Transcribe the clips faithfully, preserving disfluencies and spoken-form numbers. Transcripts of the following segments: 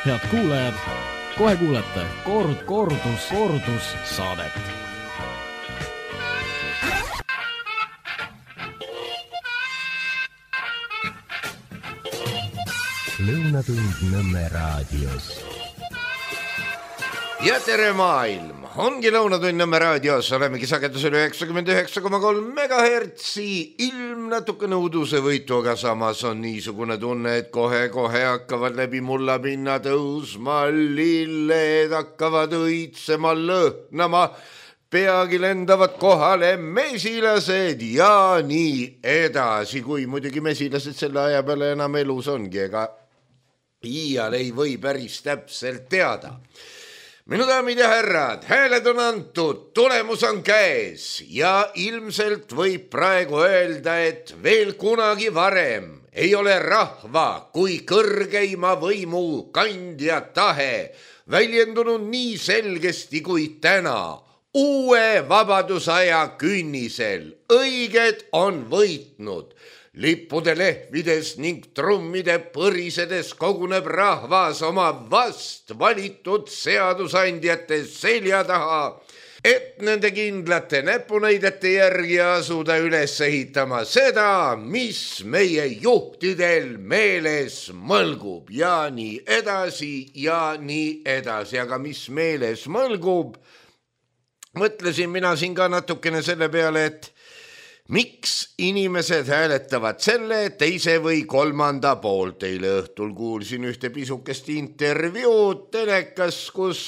Head kuulajad, kohe kuulete kord, kordus, kordus saadet. Lõunatund Nõmme raadios. Ja tere maailm, ongi Lõunatund Nõmme raadios, olemegi sagedusel üheksakümmend üheksa koma kolm megahertsi, ilm natuke nõuduse võitu, aga samas on niisugune tunne, et kohe-kohe hakkavad läbi mulla pinna tõusma, lilled hakkavad õitsema, lõhnama, peagi lendavad kohale mesilased ja nii edasi, kui muidugi mesilased selle aja peale enam elus ongi, ega iial ei või päris täpselt teada. Minu daamid ja härrad, hääled on antud, tulemus on käes ja ilmselt võib praegu öelda, et veel kunagi varem ei ole rahva kui kõrgeima võimu kandja tahe väljendunud nii selgesti kui täna. Uue vabadusaja künnisel õiged on võitnud. Lippude lehvides ning trummide põrisedes koguneb rahvas oma vast valitud seadusandjate selja taha, et nende kindlate näpunäidete järgi asuda üles ehitama seda, mis meie juhtidel meeles mõlgub ja nii edasi ja nii edasi, aga mis meeles mõlgub, mõtlesin mina siin ka natukene selle peale, et miks inimesed hääletavad selle, teise või kolmanda poolt. Eile õhtul kuulsin ühte pisukest intervjuud telekas, kus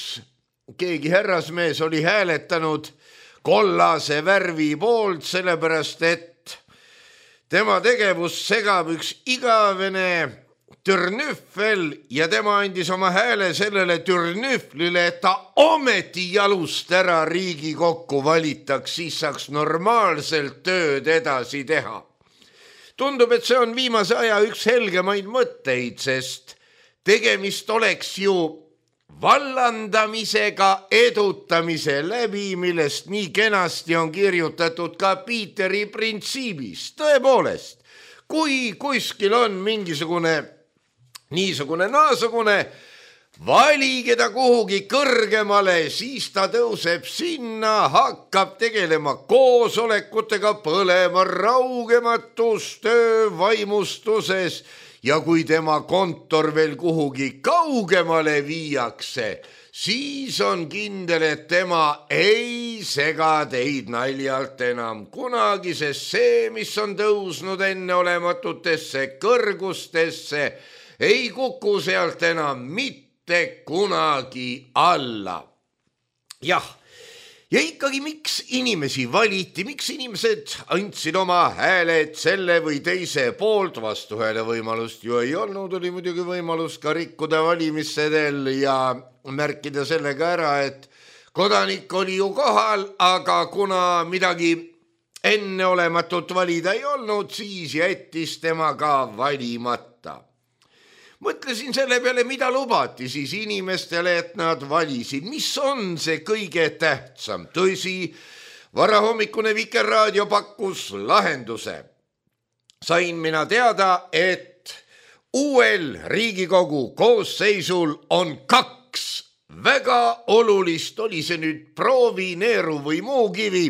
keegi härrasmees oli hääletanud kollase värvi poolt, sellepärast et tema tegevus segab üks igavene türnüffel ja tema andis oma hääle sellele türnüfflile, et ta ometi jalust ära Riigikokku valitaks, siis saaks normaalselt tööd edasi teha. Tundub, et see on viimase aja üks helgemaid mõtteid, sest tegemist oleks ju vallandamisega edutamise läbi, millest nii kenasti on kirjutatud ka Piiteri printsiibis. Tõepoolest, kui kuskil on mingisugune niisugune naasugune, valige ta kuhugi kõrgemale, siis ta tõuseb sinna, hakkab tegelema koosolekutega, põlema raugematus töö vaimustuses ja kui tema kontor veel kuhugi kaugemale viiakse, siis on kindel, et tema ei sega teid naljalt enam kunagi, sest see, mis on tõusnud enneolematutesse kõrgustesse, ei kuku sealt enam mitte kunagi alla. Jah, ja ikkagi miks inimesi valiti, miks inimesed andsid oma hääled selle või teise poolt, vastuhääle võimalust ju ei olnud, oli muidugi võimalus ka rikkuda valimissedel ja märkida sellega ära, et kodanik oli ju kohal, aga kuna midagi enneolematut valida ei olnud, siis jättis tema ka valimata. Mõtlesin selle peale, mida lubati siis inimestele, et nad valisid. Mis on see kõige tähtsam? Tõsi, varahommikune Vikerraadio pakkus lahenduse. Sain mina teada, et uuel Riigikogu koosseisul on kaks väga olulist, oli see nüüd proovineeru või muukivi,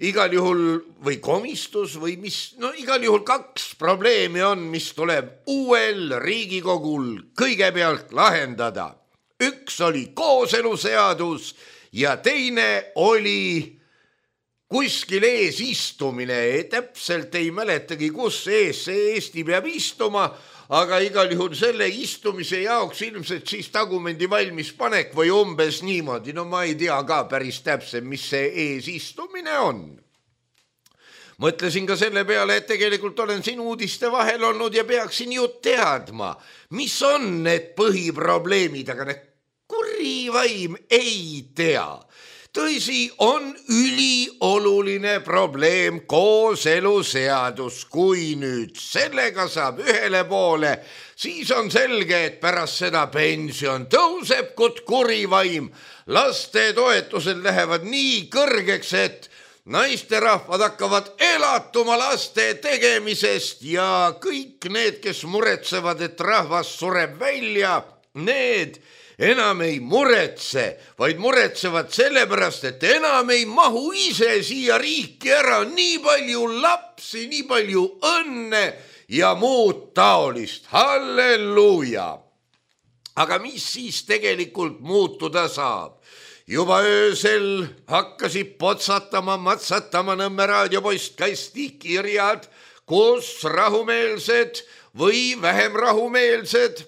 igal juhul või komistus või mis, no igal juhul kaks probleemi on, mis tuleb uuel Riigikogul kõigepealt lahendada. Üks oli kooseluseadus ja teine oli kuskil ees istumine. Täpselt ei mäletagi, kus ees see Eesti peab istuma, aga igal juhul selle istumise jaoks ilmselt siis tagumendi valmis panek või umbes niimoodi. No ma ei tea ka päris täpselt, mis see eesistumine on. Mõtlesin ka selle peale, et tegelikult olen siin uudiste vahel olnud ja peaksin ju teadma, mis on need põhiprobleemid, aga need kurivaim ei tea. Tõsi, on ülioluline probleem kooseluseadus. Kui nüüd sellega saab ühele poole, siis on selge, et pärast seda pension tõuseb kot kurivaim. Laste toetused lähevad nii kõrgeks, et naisterahvad hakkavad elatuma laste tegemisest ja kõik need, kes muretsevad, et rahvas sureb välja, need enam ei muretse, vaid muretsevad sellepärast, et enam ei mahu ise siia riiki ära, nii palju lapsi, nii palju õnne ja muud taolist. Halleluuja! Aga mis siis tegelikult muutuda saab? Juba öösel hakkasid potsatama, matsatama Nõmme raadiopoist kasti kirjad, kus rahumeelsed või vähem rahumeelsed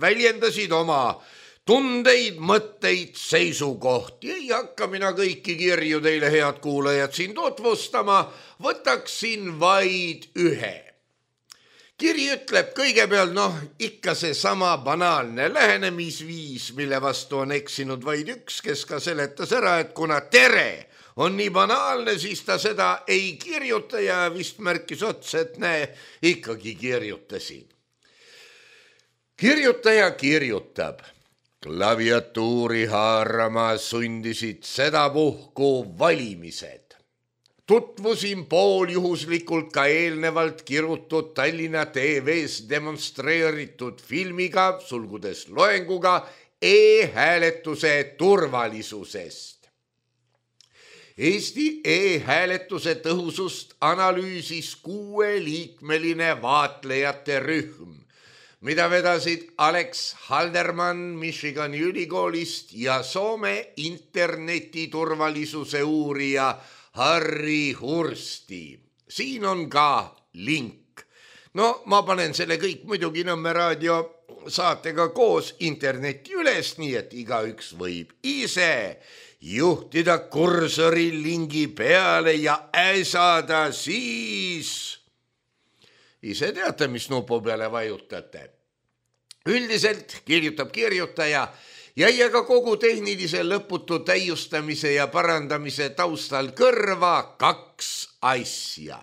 väljendasid oma tundeid, mõtteid, seisukohti. Ei hakka mina kõiki kirju teile, head kuulajad, siin tutvustama, võtaksin vaid ühe. Kiri ütleb kõigepealt, noh, ikka see sama banaalne lähenemisviis, mille vastu on eksinud vaid üks, kes ka seletas ära, et kuna tere on nii banaalne, siis ta seda ei kirjuta ja vist märkis otsa, et näe, ikkagi kirjutasin. Kirjutaja kirjutab. Klaviatuuri haarama sundisid sedapuhku valimised. Tutvusin pooljuhuslikult ka eelnevalt kirutud Tallinna T V-s demonstreeritud filmiga, sulgudes loenguga e-hääletuse turvalisusest. Eesti e-hääletuse tõhusust analüüsis kuueliikmeline vaatlejate rühm, mida vedasid Alex Halderman Michigani ülikoolist ja Soome internetiturvalisuse uurija Harri Hursti. Siin on ka link. No ma panen selle kõik muidugi Nõmme raadio saatega koos internetti üles, nii et igaüks võib ise juhtida kursori lingi peale ja äsada siis. Ise teate, mis nupu peale vajutate. Üldiselt kirjutab kirjutaja, jäi aga kogu tehnilise lõputu täiustamise ja parandamise taustal kõrva kaks asja.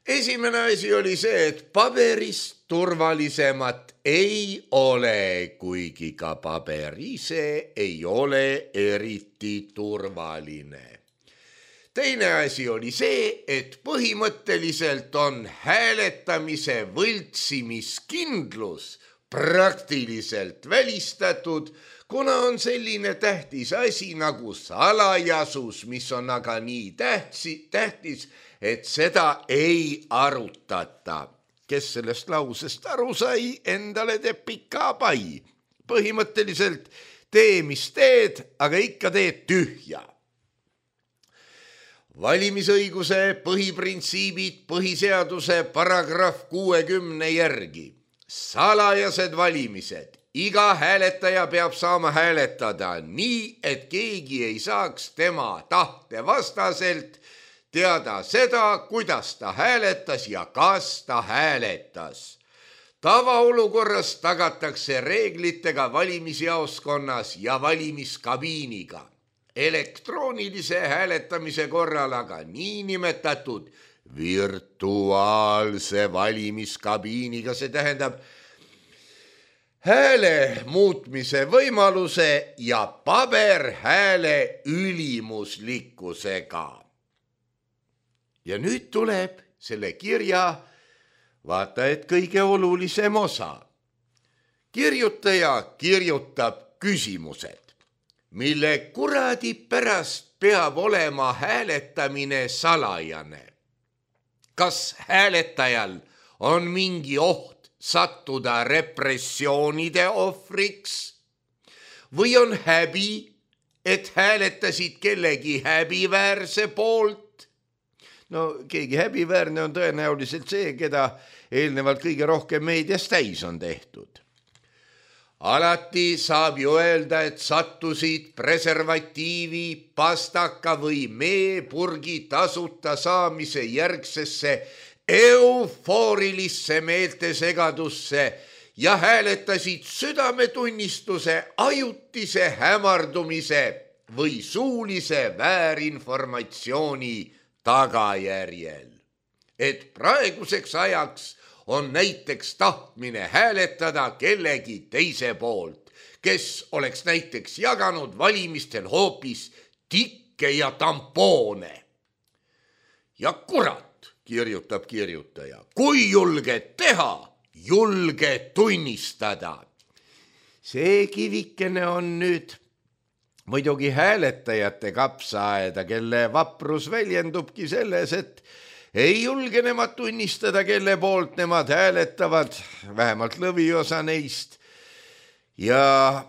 Esimene asi oli see, et paberist turvalisemat ei ole, kuigi ka paber ise ei ole eriti turvaline. Teine asi oli see, et põhimõtteliselt on hääletamise võltsimiskindlus praktiliselt välistatud, kuna on selline tähtis asi nagu salajasus, mis on aga nii tähtsi, tähtis, et seda ei arutata. Kes sellest lausest aru sai, endale teeb pika pai. Põhimõtteliselt tee, mis teed, aga ikka teed tühja. Valimisõiguse põhiprintsiibid põhiseaduse paragrahv kuuekümne järgi. Salajased valimised. Iga hääletaja peab saama hääletada nii, et keegi ei saaks tema tahte vastaselt teada seda, kuidas ta hääletas ja kas ta hääletas. Tavaolukorras tagatakse reeglitega valimisjaoskonnas ja valimiskabiiniga. Elektroonilise hääletamise korral aga niinimetatud virtuaalse valimiskabiiniga, see tähendab hääle muutmise võimaluse ja paberhääle ülimuslikkusega. Ja nüüd tuleb selle kirja, vaata et kõige olulisem osa. Kirjutaja kirjutab küsimused, mille kuradi pärast peab olema hääletamine salajane. Kas hääletajal on mingi oht sattuda repressioonide ohvriks või on häbi, et hääletasid kellegi häbiväärse poolt? No keegi häbiväärne on tõenäoliselt see, keda eelnevalt kõige rohkem meedias täis on tehtud. Alati saab ju öelda, et sattusid preservatiivi, pastaka või meepurgi tasuta saamise järgsesse eufoorilisse meeltesegadusse ja hääletasid südametunnistuse ajutise hämardumise või suulise väärinformatsiooni tagajärjel. Et praeguseks ajaks on näiteks tahtmine hääletada kellegi teise poolt, kes oleks näiteks jaganud valimistel hoopis tikke ja tampoone. Ja kurat, kirjutab kirjutaja, kui julge teha, julge tunnistada. see kivikene on nüüd muidugi hääletajate kapsaaeda, kelle vaprus väljendubki selles, et ei julge nemad tunnistada, kelle poolt nemad hääletavad, vähemalt lõviosa neist. Ja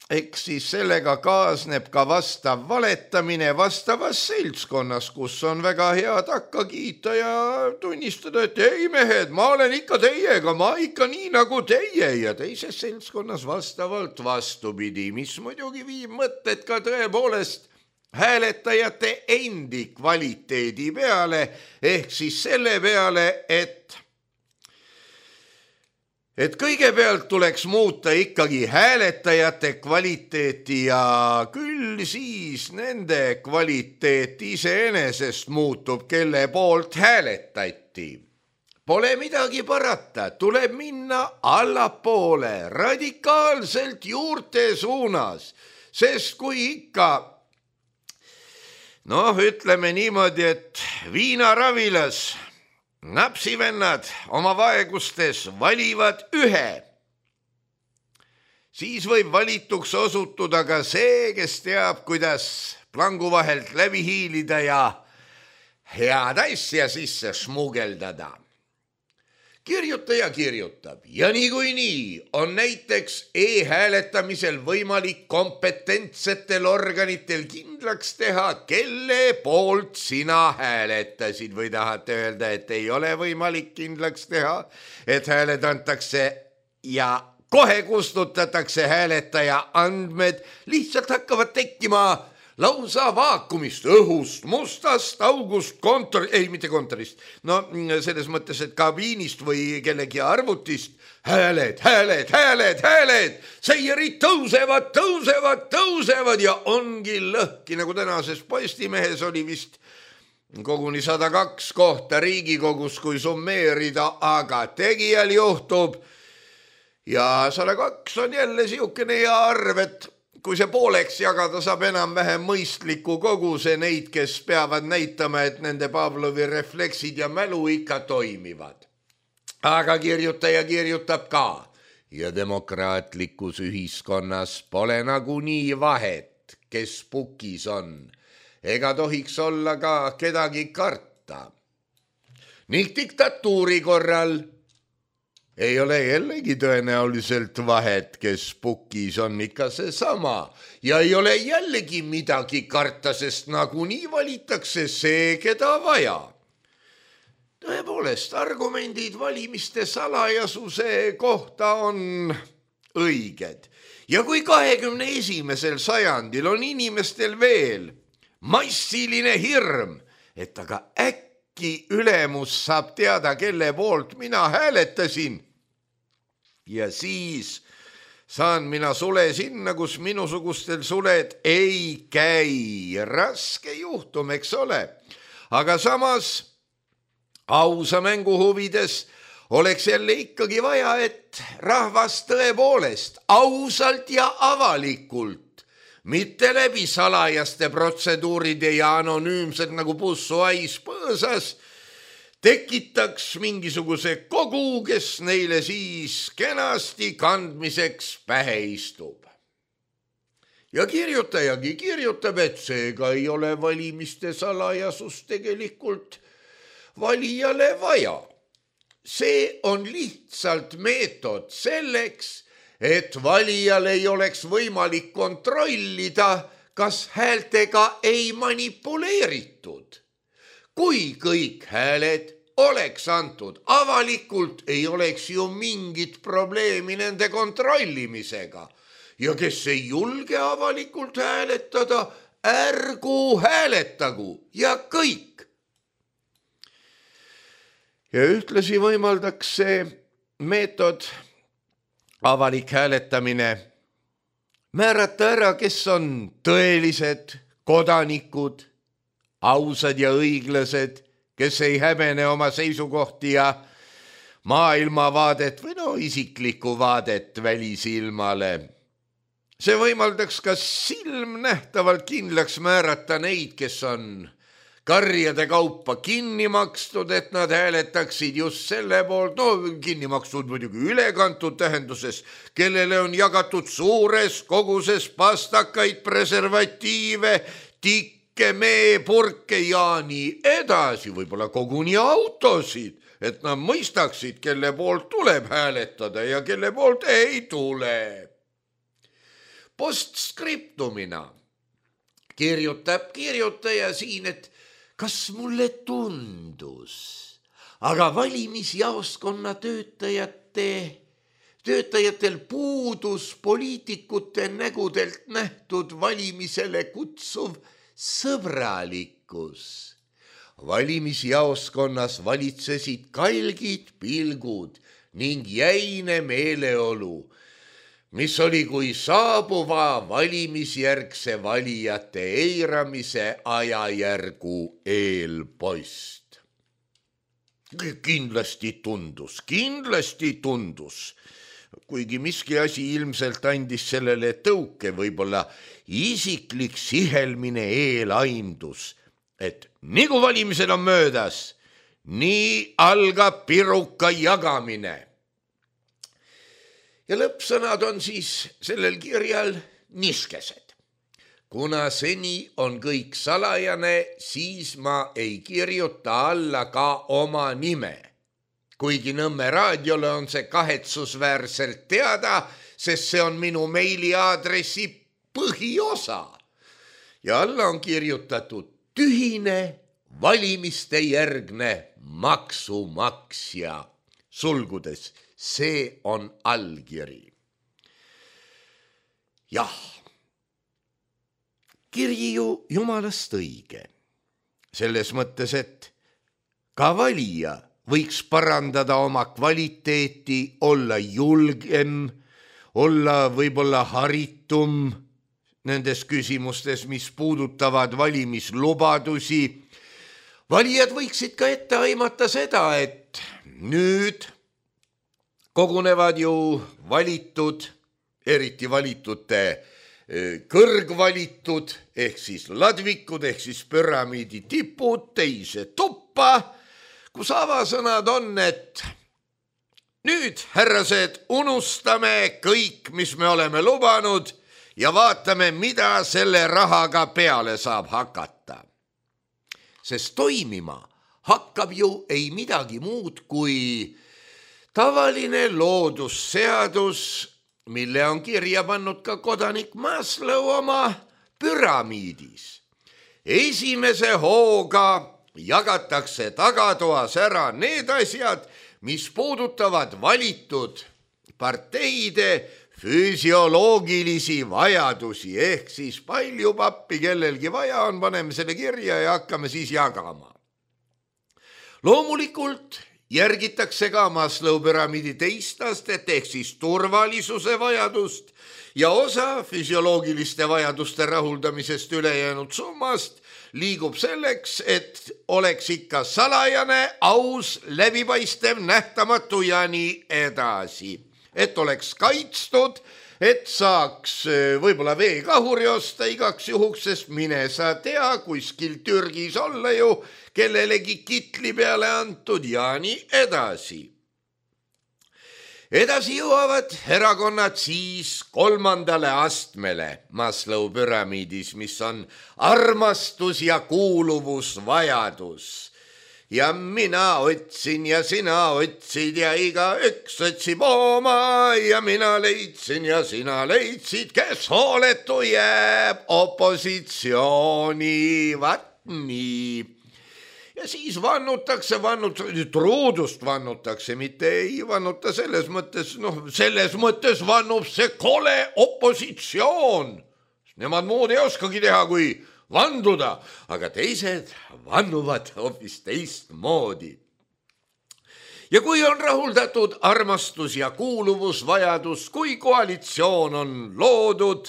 eks siis sellega kaasneb ka vastav valetamine vastavas seltskonnas, kus on väga hea takka kiita ja tunnistada, et ei mehed, ma olen ikka teiega, ma ikka nii nagu teie, ja teises seltskonnas vastavalt vastupidi, mis muidugi viib mõtted ka tõepoolest hääletajate endi kvaliteedi peale, ehk siis selle peale, et et kõigepealt tuleks muuta ikkagi hääletajate kvaliteeti ja küll siis nende kvaliteet iseenesest muutub, kelle poolt hääletati. Pole midagi parata, tuleb minna allapoole, radikaalselt juurte suunas, sest kui ikka, noh, ütleme niimoodi, et viinaravilas napsivennad oma vaegustes valivad ühe, siis võib valituks osutuda ka see, kes teab, kuidas plangu vahelt läbi hiilida ja head asja sisse smugeldada. Kirjutaja kirjutab ja niikuinii on näiteks e-hääletamisel võimalik kompetentsetel organitel kindlaks teha, kelle poolt sina hääletasid, või tahate öelda, et ei ole võimalik kindlaks teha, et hääled antakse ja kohe kustutatakse hääletaja andmed, lihtsalt hakkavad tekkima lausa vaakumist, õhust, mustast august, kontor, ei mitte kontorist, no selles mõttes, et kabiinist või kellegi arvutist, hääled, hääled, hääled, hääled, seierid tõusevad, tõusevad, tõusevad ja ongi lõhki, nagu tänases Postimehes oli vist koguni sada kaks kohta Riigikogus, kui summeerida, aga tegijal juhtub ja sada kaks on jälle siukene hea arv, et kui see pooleks jagada, saab enam-vähem mõistliku koguse neid, kes peavad näitama, et nende Pavlovi refleksid ja mälu ikka toimivad. Aga kirjutaja kirjutab ka ja demokraatlikus ühiskonnas pole nagunii vahet, kes pukis on, ega tohiks olla ka kedagi karta. Ning diktatuuri korral ei ole jällegi tõenäoliselt vahet, kes pukis on ikka see sama ja ei ole jällegi midagi karta, sest nagunii valitakse see, keda vaja. Tõepoolest, argumendid valimiste salajasuse kohta on õiged. Ja kui kahekümne esimesel sajandil on inimestel veel massiline hirm, et aga äkki ülemus saab teada, kelle poolt mina hääletasin, ja siis saan mina sule sinna, kus minusugustel suled ei käi. Raske juhtum, eks ole. Aga samas ausa mängu huvides oleks jälle ikkagi vaja, et rahvas tõepoolest ausalt ja avalikult, mitte läbi salajaste protseduuride ja anonüümsed nagu pussuais põõsas, tekitaks mingisuguse kogu, kes neile siis kenasti kandmiseks pähe istub. Ja kirjutajagi kirjutab, et seega ei ole valimiste salajasus tegelikult valijale vaja. See on lihtsalt meetod selleks, et valijal ei oleks võimalik kontrollida, kas häältega ei manipuleeritud. Kui kõik hääled oleks antud avalikult, ei oleks ju mingit probleemi nende kontrollimisega. Ja kes ei julge avalikult hääletada, ärgu hääletagu ja kõik. Ja ühtlasi võimaldaks see meetod, avalik hääletamine, määrata ära, kes on tõelised kodanikud, ausad ja õiglased, kes ei häbene oma seisukohti ja maailmavaadet või no isiklikku vaadet välisilmale. See võimaldaks ka silmnähtavalt kindlaks määrata neid, kes on karjade kaupa kinni makstud, et nad hääletaksid just selle poolt, no kinni makstud muidugi ülekantud tähenduses, kellele on jagatud suures koguses pastakaid, preservatiive, tikke, meepurke ja nii edasi, võib-olla koguni autosid, et nad mõistaksid, kelle poolt tuleb hääletada ja kelle poolt ei tule. Postskriptumina kirjutab kirjutaja siin, et kas mulle tundus, aga valimisjaoskonna töötajate, töötajatel puudus poliitikute nägudelt nähtud valimisele kutsuv sõbralikkus. Valimisjaoskonnas valitsesid kalgid pilgud ning jäine meeleolu, mis oli kui saabuva valimisjärgse valijate eiramise ajajärgu eelpost. Kindlasti tundus, kindlasti tundus, kuigi miski asi ilmselt andis sellele tõuke, võib-olla isiklik sihelmine eelaimdus, et nii kui valimised on möödas, nii algab piruka jagamine. Ja lõppsõnad on siis sellel kirjal niskesed. Kuna seni on kõik salajane, siis ma ei kirjuta alla ka oma nime. Kuigi Nõmme raadiole on see kahetsusväärselt teada, sest see on minu meiliaadressi põhiosa. Ja alla on kirjutatud tühine valimiste järgne maksumaksja, sulgudes. See on allkiri. Jah, kirji ju jumalast õige. Selles mõttes, et ka valija võiks parandada oma kvaliteeti, olla julgem, olla võib-olla haritum nendes küsimustes, mis puudutavad valimislubadusi. Valijad võiksid ka ette aimata seda, et nüüd kogunevad ju valitud, eriti valitute kõrgvalitud, ehk siis ladvikud, ehk siis püramiidi tipud, teise tuppa, kus avasõnad on, et nüüd, härrased, unustame kõik, mis me oleme lubanud ja vaatame, mida selle rahaga peale saab hakata. Sest toimima hakkab ju ei midagi muud kui tavaline loodusseadus, mille on kirja pannud ka kodanik Maslow oma püramiidis. Esimese hooga jagatakse tagatoas ära need asjad, mis puudutavad valitud parteide füsioloogilisi vajadusi, ehk siis palju pappi kellelgi vaja on, paneme selle kirja ja hakkame siis jagama. Loomulikult järgitakse ka Maslow püramiidi teist astet ehk siis turvalisuse vajadust ja osa füsioloogiliste vajaduste rahuldamisest ülejäänud summast liigub selleks, et oleks ikka salajane, aus, läbipaistev, nähtamatu ja nii edasi. Et oleks kaitstud, et saaks võib-olla veekahuri osta igaks juhuks, sest mine sa tea, kuskil Türgis olla ju kellelegi kitli peale antud ja nii edasi. Edasi jõuavad erakonnad siis kolmandale astmele Maslow püramiidis, mis on armastus ja kuuluvusvajadus. Ja mina otsin ja sina otsid ja igaüks otsib oma ja mina leidsin ja sina leidsid, kes hooletu jääb opositsiooni, vat nii. Ja siis vannutakse, vannutakse, truudust vannutakse, mitte ei vannuta selles mõttes, noh, selles mõttes vannub see kole opositsioon. Nemad muud ei oskagi teha, kui vanduda, aga teised vannuvad hoopis teistmoodi. Ja kui on rahuldatud armastus ja kuuluvusvajadus, kui koalitsioon on loodud,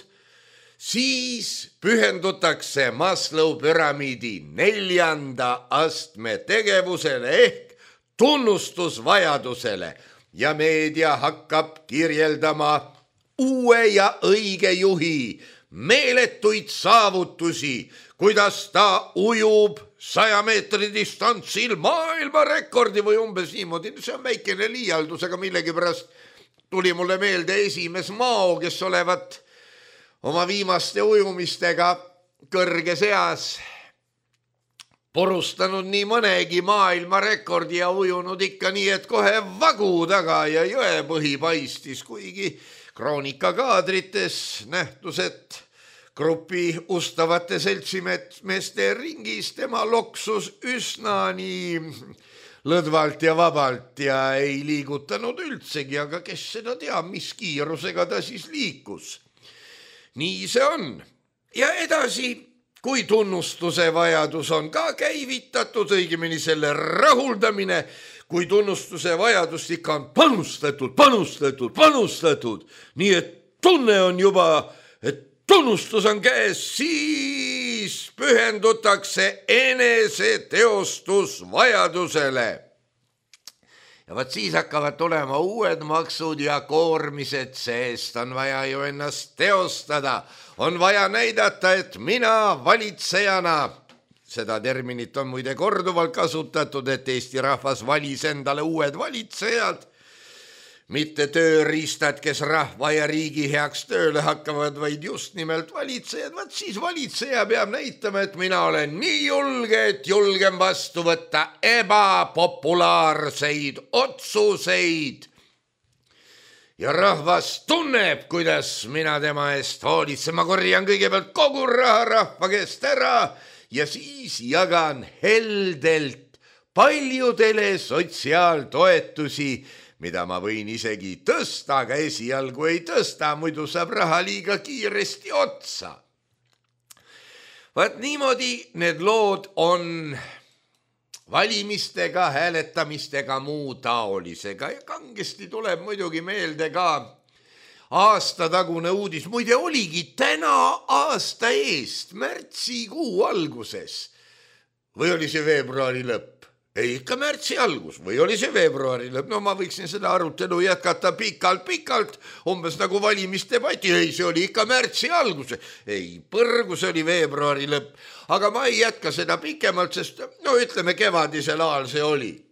siis pühendutakse Maslow püramiidi neljanda astme tegevusele ehk tunnustusvajadusele ja meedia hakkab kirjeldama uue ja õige juhi meeletuid saavutusi, kuidas ta ujub saja meetri distantsil maailmarekordi või umbes niimoodi, see on väikene liialdus, aga millegipärast tuli mulle meelde esimees Mao, kes olevat oma viimaste ujumistega kõrges eas purustanud nii mõnegi maailmarekordi ja ujunud ikka nii, et kohe vagu taga ja jõepõhi paistis, kuigi kroonikakaadrites nähtus, et grupi ustavate seltsimeeste ringis tema loksus üsna nii lõdvalt ja vabalt ja ei liigutanud üldsegi, aga kes seda teab, mis kiirusega ta siis liikus. Nii see on. Ja edasi, kui tunnustuse vajadus on ka käivitatud, õigemini selle rahuldamine, kui tunnustuse vajadust ikka on panustatud, panustatud, panustatud, nii et tunne on juba, et tunnustus on käes, siis pühendutakse eneseteostusvajadusele. Ja vaat siis hakkavad tulema uued maksud ja koormised, sest on vaja ju ennast teostada. On vaja näidata, et mina valitsejana, seda terminit on muide korduvalt kasutatud, et Eesti rahvas valis endale uued valitsejad, mitte tööriistad, kes rahva ja riigi heaks tööle hakkavad, vaid just nimelt valitsejad. Vaat siis valitseja peab näitama, et mina olen nii julge, et julgen vastu võtta ebapopulaarseid otsuseid. Ja rahvas tunneb, kuidas mina tema eest hoolitsen. Ma korjan kõigepealt kogu raha rahva käest ära ja siis jagan heldelt paljudele sotsiaaltoetusi, mida ma võin isegi tõsta, aga esialgu ei tõsta, muidu saab raha liiga kiiresti otsa. Vaat niimoodi need lood on valimistega, hääletamistega, muu taolisega ja kangesti tuleb muidugi meelde ka aastatagune uudis. Muide oligi täna aasta eest, märtsikuu alguses või oli see veebruari lõpp? Ei, ikka märtsi algus või oli see veebruari lõpp? No ma võiksin seda arutelu jätkata pikalt-pikalt, umbes nagu valimisdebati. Ei, see oli ikka märtsi algus. Ei, põrgu, see oli veebruari lõpp. Aga ma ei jätka seda pikemalt, sest no ütleme kevadisel ajal see oli.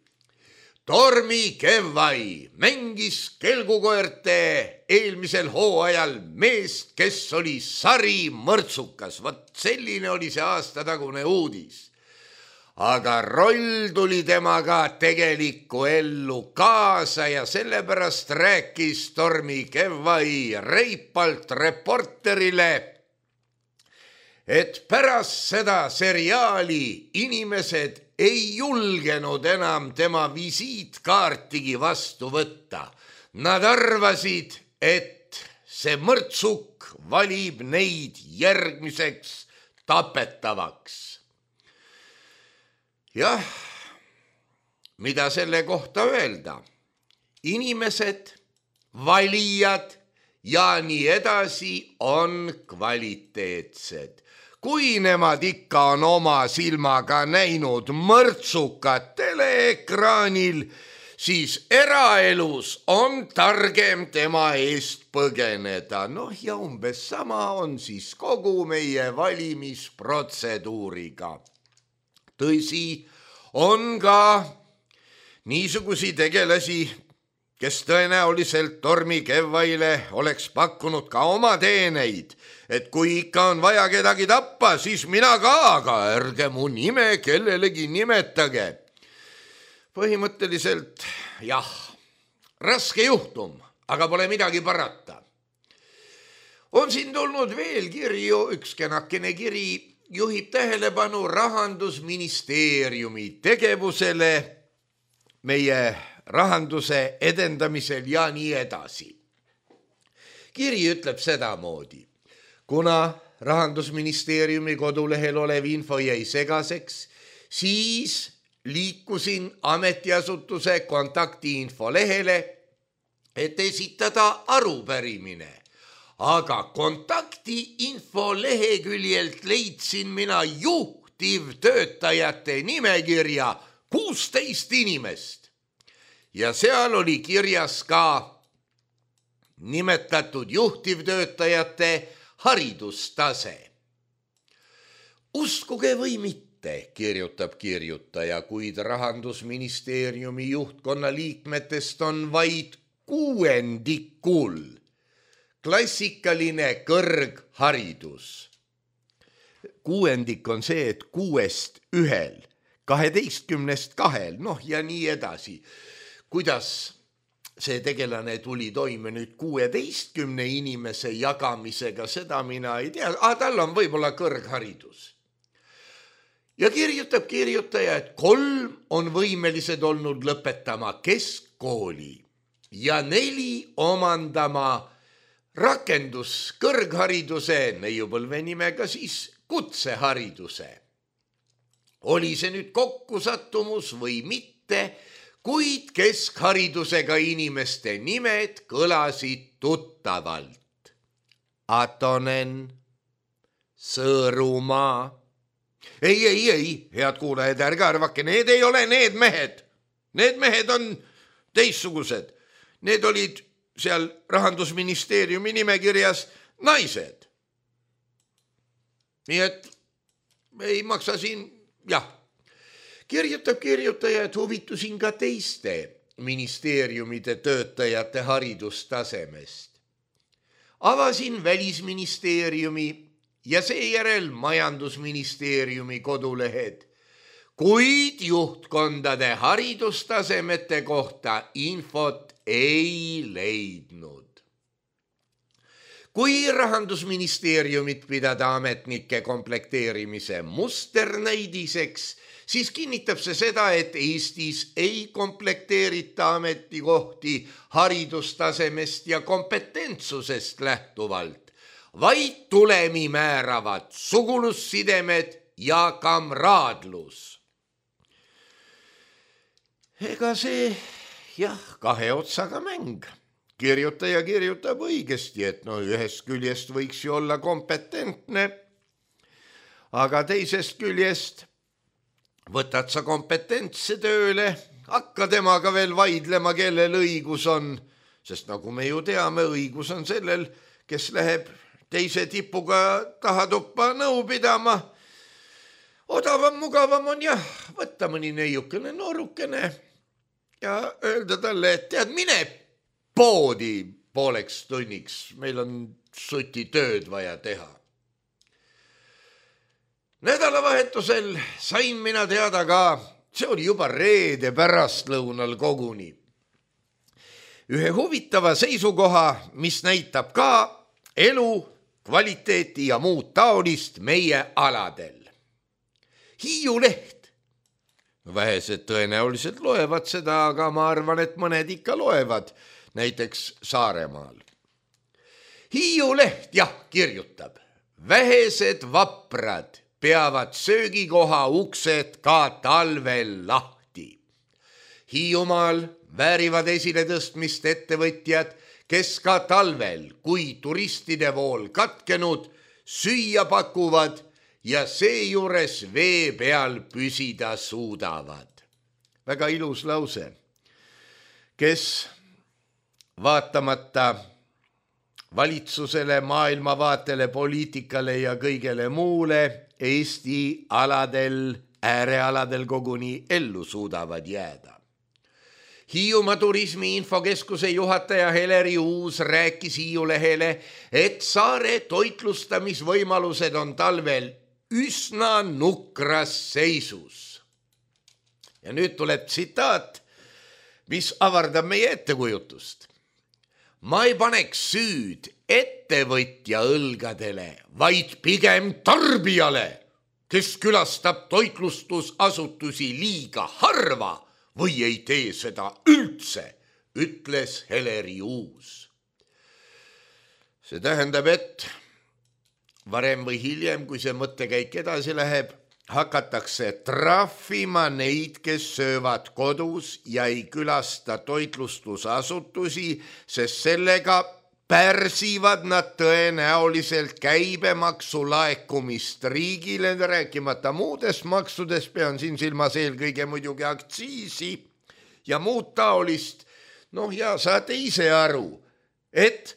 Tormi Kevvai mängis kelgukoerte eelmisel hooajal meest, kes oli sari mõrtsukas. Vat selline oli see aastatagune uudis. Aga roll tuli temaga tegelikku ellu kaasa ja sellepärast rääkis Tormi Kevvai reipalt reporterile, et pärast seda seriaali inimesed ei julgenud enam tema visiitkaartigi vastu võtta. Nad arvasid, et see mõrtsuk valib neid järgmiseks tapetavaks. Jah, mida selle kohta öelda? Inimesed, valijad ja nii edasi on kvaliteetsed. Kui nemad ikka on oma silmaga näinud mõrtsukat teleekraanil, siis eraelus on targem tema eest põgeneda. Noh ja umbes sama on siis kogu meie valimisprotseduuriga. Tõsi, on ka niisugusi tegelasi, kes tõenäoliselt Tormi Kevvaile oleks pakkunud ka oma teeneid, et kui ikka on vaja kedagi tappa, siis mina ka, aga ärge mu nime kellelegi nimetage. Põhimõtteliselt, jah, raske juhtum, aga pole midagi parata. On siin tulnud veel kirju, üks kenakene kiri, juhib tähelepanu Rahandusministeeriumi tegevusele meie rahanduse edendamisel ja nii edasi. Kiri ütleb sedamoodi, kuna Rahandusministeeriumi kodulehel olev info jäi segaseks, siis liikusin ametiasutuse kontaktiinfo lehele, et esitada arupärimine. Aga kontaktiinfo leheküljelt leidsin mina juhtivtöötajate nimekirja kuusteist inimest. Ja seal oli kirjas ka nimetatud juhtivtöötajate haridustase. Uskuge või mitte, teate, kirjutab kirjutaja, kuid Rahandusministeeriumi juhtkonna liikmetest on vaid kuuendikul klassikaline kõrgharidus. Kuuendik on see, et kuuest ühel, kaheteistkümnest kahel, noh ja nii edasi. Kuidas see tegelane tuli toime nüüd kuueteistkümne inimese jagamisega, seda mina ei tea, aga tal on võib-olla kõrgharidus. Ja kirjutab kirjutaja, et kolm on võimelised olnud lõpetama keskkooli ja neli omandama rakendus kõrghariduse, neiupõlve nimega siis kutsehariduse. Oli see nüüd kokkusattumus või mitte, kuid keskharidusega inimeste nimed kõlasid tuttavalt. Atonen, Sõõrumaa. Ei, ei, ei, head kuulajad, ärge arvake, need ei ole need mehed. Need mehed on teistsugused. Need olid seal Rahandusministeeriumi nimekirjas naised. Nii et ei maksa siin, jah. Kirjutab kirjutaja, et huvitusin ka teiste ministeeriumide töötajate haridustasemest. Avasin Välisministeeriumi ja seejärel Majandusministeeriumi kodulehed, kuid juhtkondade haridustasemete kohta infot ei leidnud. Kui Rahandusministeeriumit pidada ametnike komplekteerimise musternäidiseks, siis kinnitab see seda, et Eestis ei komplekteerita ametikohti haridustasemest ja kompetentsusest lähtuvalt, vaid tulemi määravad sugulussidemed ja kamraadlus. Ega see, jah, kahe otsaga mäng. Kirjutaja kirjutab õigesti, et no ühest küljest võiks ju olla kompetentne, aga teisest küljest võtad sa kompetentse tööle, hakka temaga veel vaidlema, kellel õigus on, sest nagu me ju teame, õigus on sellel, kes läheb teise tipuga tahatuppa nõu pidama. Odavam, mugavam on jah, võtta mõni neiukene noorukene ja öelda talle, et tead, mine poodi pooleks tunniks, meil on suti tööd vaja teha. Nädalavahetusel sain mina teada ka, see oli juba reede pärastlõunal koguni, ühe huvitava seisukoha, mis näitab ka elu, kvaliteeti ja muud taolist meie aladel. Hiiu leht. Vähesed tõenäoliselt loevad seda, aga ma arvan, et mõned ikka loevad, näiteks Saaremaal. Hiiu leht, jah, kirjutab. Vähesed vaprad peavad söögikoha uksed ka talvel lahti. Hiiumaal väärivad esile tõstmist ettevõtjad, kes ka talvel, kui turistide vool katkenud, süüa pakuvad ja seejuures vee peal püsida suudavad. Väga ilus lause. Kes vaatamata valitsusele, maailmavaatele, poliitikale ja kõigele muule Eesti aladel, äärealadel koguni ellu suudavad jääda. Hiiumaa turismi infokeskuse juhataja Heleri Uus rääkis Hiiu lehele, et saare toitlustamisvõimalused on talvel üsna nukras seisus. Ja nüüd tuleb tsitaat, mis avardab meie ettekujutust. Ma ei paneks süüd ettevõtja õlgadele, vaid pigem tarbijale, kes külastab toitlustusasutusi liiga harva või ei tee seda üldse, ütles Heleri Uus. See tähendab, et varem või hiljem, kui see mõttekäik edasi läheb, hakatakse trahvima neid, kes söövad kodus ja ei külasta toitlustusasutusi, sest sellega pärsivad nad tõenäoliselt käibemaksu laekumist riigile, rääkimata muudest maksudest, pean siin silmas eelkõige muidugi aktsiisi ja muud taolist. Noh ja saate ise aru, et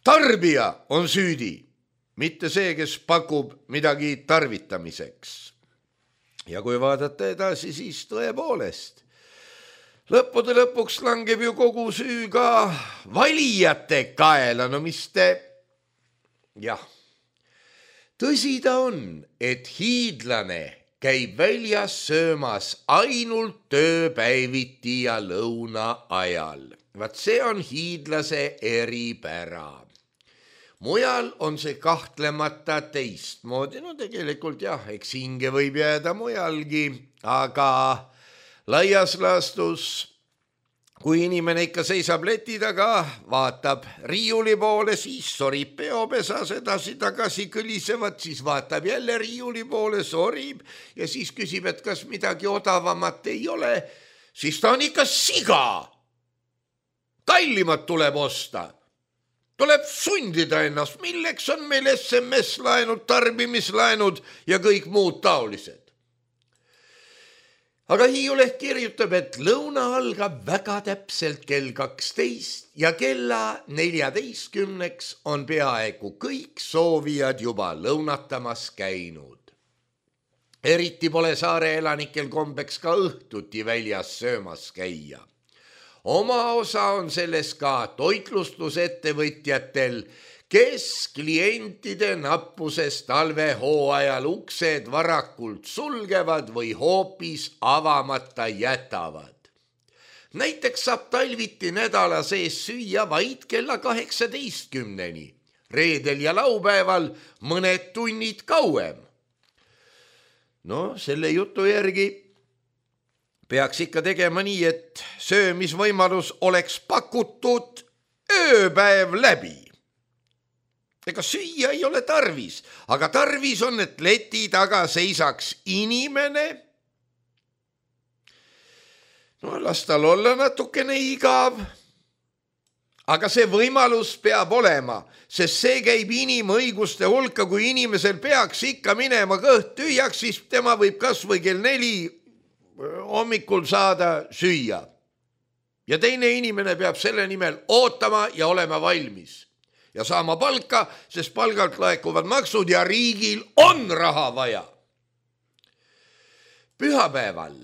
tarbija on süüdi, mitte see, kes pakub midagi tarvitamiseks. Ja kui vaadata edasi, siis tõepoolest, lõppude lõpuks langeb ju kogu süü ka valijate kaela, no mis te, jah. Tõsi ta on, et hiidlane käib väljas söömas ainult tööpäeviti ja lõuna ajal. Vaat see on hiidlase eripära. Mujal on see kahtlemata teistmoodi, no tegelikult jah, eks hinge võib jääda mujalgi, aga laias laastus, kui inimene ikka seisab leti taga, vaatab riiuli poole, siis sorib peopesas edasi-tagasi kõlisevad, siis vaatab jälle riiuli poole, sorib ja siis küsib, et kas midagi odavamat ei ole, siis ta on ikka siga. Kallimat tuleb osta. Tuleb sundida ennast, milleks on meil S M S-laenud, tarbimislaenud ja kõik muud taolised. Aga Hiiuleht kirjutab, et lõuna algab väga täpselt kell kaksteist ja kella neljateistkümneks on peaaegu kõik soovijad juba lõunatamas käinud. Eriti pole saare elanikel kombeks ka õhtuti väljas söömas käia. Oma osa on selles ka toitlustusettevõtjatel, kes klientide nappusest talvehooajal uksed varakult sulgevad või hoopis avamata jätavad. Näiteks saab talviti nädala sees süüa vaid kella kaheksateistkümneni, reedel ja laupäeval mõned tunnid kauem. No selle jutu järgi peaks ikka tegema nii, et söömisvõimalus oleks pakutud ööpäev läbi. Ega süüa ei ole tarvis, aga tarvis on, et leti taga seisaks inimene. No las tal olla natukene igav, aga see võimalus peab olema, sest see käib inimõiguste hulka, kui inimesel peaks ikka minema kõht tühjaks, siis tema võib kas või kell neli hommikul saada süüa. Ja teine inimene peab selle nimel ootama ja olema valmis. Ja saama palka, sest palgalt laekuvad maksud ja riigil on raha vaja. Pühapäeval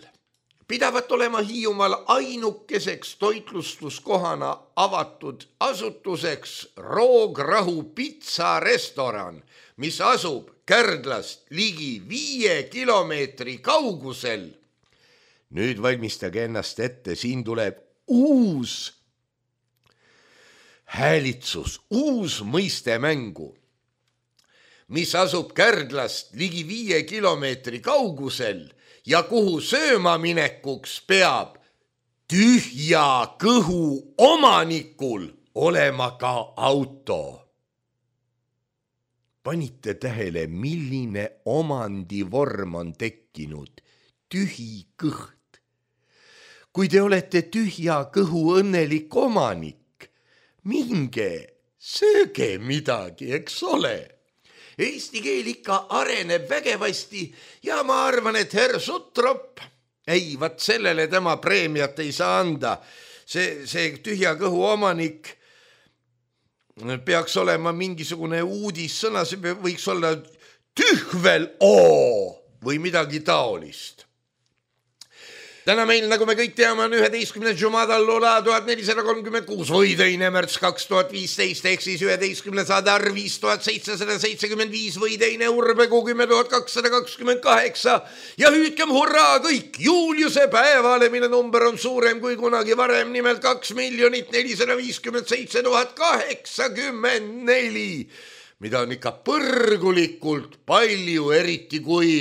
pidavat olema Hiiumaal ainukeseks toitlustuskohana avatud asutuseks Roograhu pitsarestoran, mis asub Kärdlast ligi viie kilomeetri kaugusel. Nüüd valmistage ennast ette, siin tuleb uus häälitsus, uus mõiste mängu, mis asub Kärdlast ligi viie kilomeetri kaugusel ja kuhu sööma minekuks peab tühja kõhu omanikul olema ka auto. Panite tähele, milline omandivorm on tekkinud, tühi kõht. Kui te olete tühja kõhu õnnelik omanik, minge, sööge midagi, eks ole. Eesti keel ikka areneb vägevasti ja ma arvan, et herr Sutrop, ei, vat sellele tema preemiat ei saa anda. See, see tühja kõhu omanik peaks olema mingisugune uudissõna, see võiks olla tühvel oo või midagi taolist. Täna meil, nagu me kõik teame, on üheteistkümnes Jumadal Lola tuhat nelisada kolmkümmend kuus või teine märts kaks tuhat viisteist ehk siis üheteistkümnes Adar viis tuhat seitsesada seitsekümmend viis või teine Urbegu kümme tuhat kakssada kakskümmend kaheksa ja hüüdkem hurraa kõik Juliuse päevale, mille number on suurem kui kunagi varem, nimelt kaks miljonit nelisada viiskümmend seitse tuhat kaheksakümmend neli, mida on ikka põrgulikult palju, eriti kui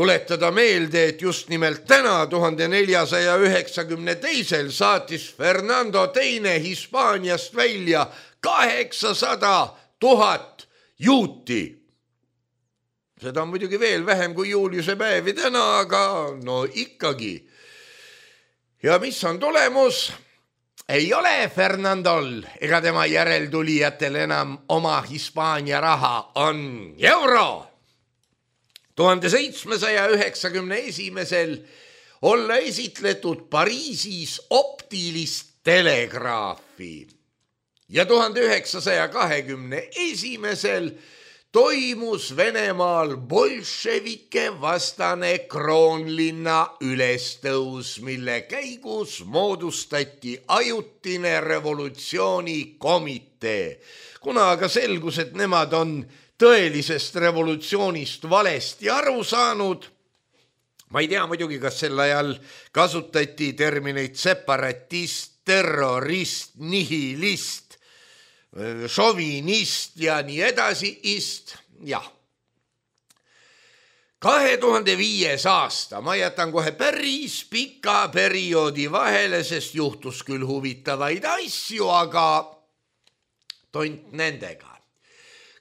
tuletada meelde, et just nimelt täna tuhande neljasaja üheksakümne teisel saatis Fernando teine Hispaaniast välja kaheksasada tuhat juuti. Seda on muidugi veel vähem kui Juliuse päevi täna, aga no ikkagi. Ja mis on tulemus? Ei ole Fernandol ega tema järeltulijatel enam oma Hispaania raha, on euro. tuhande seitsmesaja üheksakümne esimesel olla esitletud Pariisis optilist telegraafi ja tuhande üheksasaja kahekümne esimesel toimus Venemaal bolševike vastane kroonlinna ülestõus, mille käigus moodustati ajutine revolutsioonikomitee. Kuna aga selgus, et nemad on tõelisest revolutsioonist valesti aru saanud, ma ei tea muidugi, kas sel ajal kasutati termineid separatist, terrorist, nihilist, šovinist ja nii edasi, ist, jah. kahe tuhande viies aasta, ma jätan kohe päris pika perioodi vahele, sest juhtus küll huvitavaid asju, aga tont nendega.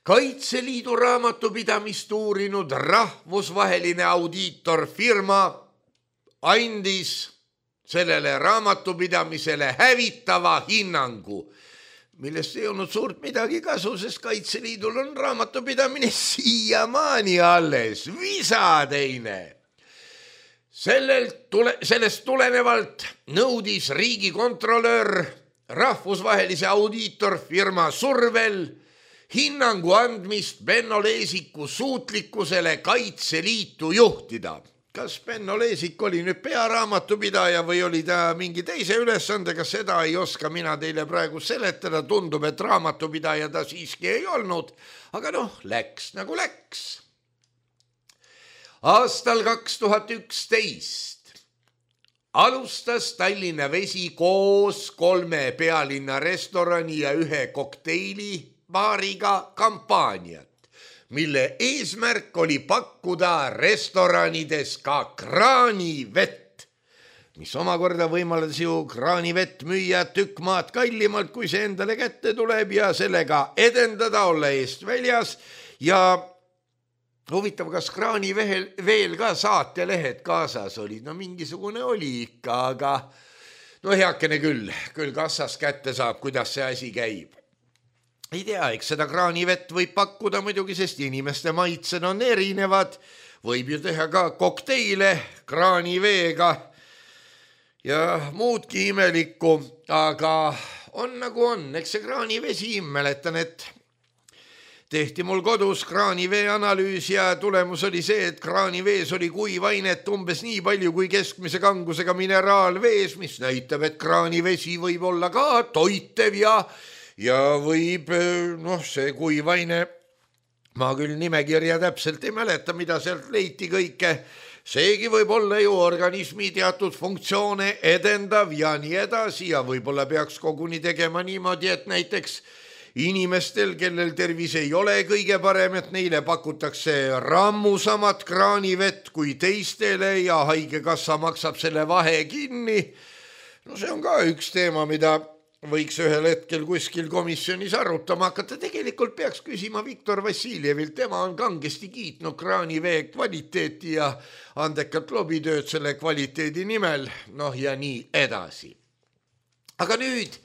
Kaitseliidu raamatupidamist uurinud rahvusvaheline audiitorfirma andis sellele raamatupidamisele hävitava hinnangu, millest ei olnud suurt midagi kasu, sest Kaitseliidul on raamatupidamine siiamaani alles, visateine. Sellelt tule, sellest tulenevalt nõudis riigikontrolör rahvusvahelise audiitorfirma survel hinnangu andmist Benno Leesiku suutlikkusele Kaitseliitu juhtida. Kas Benno Leesik oli nüüd pearaamatupidaja või oli ta mingi teise ülesandega, seda ei oska mina teile praegu seletada, tundub, et raamatupidaja ta siiski ei olnud, aga noh, läks nagu läks. Aastal kaks tuhat üksteist alustas Tallinna Vesi koos kolme pealinna restorani ja ühe kokteili baariga kampaaniat, mille eesmärk oli pakkuda restoranides ka kraanivett, mis omakorda võimaldas ju kraanivett müüa tükk maad kallimalt, kui see endale kätte tuleb ja sellega edendada, olla eest väljas. Ja huvitav, kas kraaniveel veel ka saatelehed kaasas olid? No mingisugune oli ikka, aga no heakene küll, küll kassas kätte saab, kuidas see asi käib. Ei tea, eks seda kraanivett võib pakkuda muidugi, sest inimeste maitsed on erinevad. Võib ju teha ka kokteile kraaniveega ja muudki imelikku, aga on nagu on. Eks see kraanivesi, mäletan, et tehti mul kodus kraanivee analüüs ja tulemus oli see, et kraanivees oli kuivainet umbes nii palju kui keskmise kangusega mineraalvees, mis näitab, et kraanivesi võib olla ka toitev ja Ja võib, noh, see kuivaine, ma küll nimekirja täpselt ei mäleta, mida sealt leiti kõike, seegi võib olla ju organismi teatud funktsioone edendav ja nii edasi ja võib-olla peaks koguni tegema niimoodi, et näiteks inimestel, kellel tervis ei ole kõige parem, et neile pakutakse rammusamat kraanivett kui teistele ja haigekassa maksab selle vahe kinni. No see on ka üks teema, mida võiks ühel hetkel kuskil komisjonis arutama hakata. Tegelikult peaks küsima Viktor Vassiljevilt, tema on kangesti kiitnud kraanivee kvaliteeti ja andekat lobitööd selle kvaliteedi nimel, noh ja nii edasi. Aga nüüd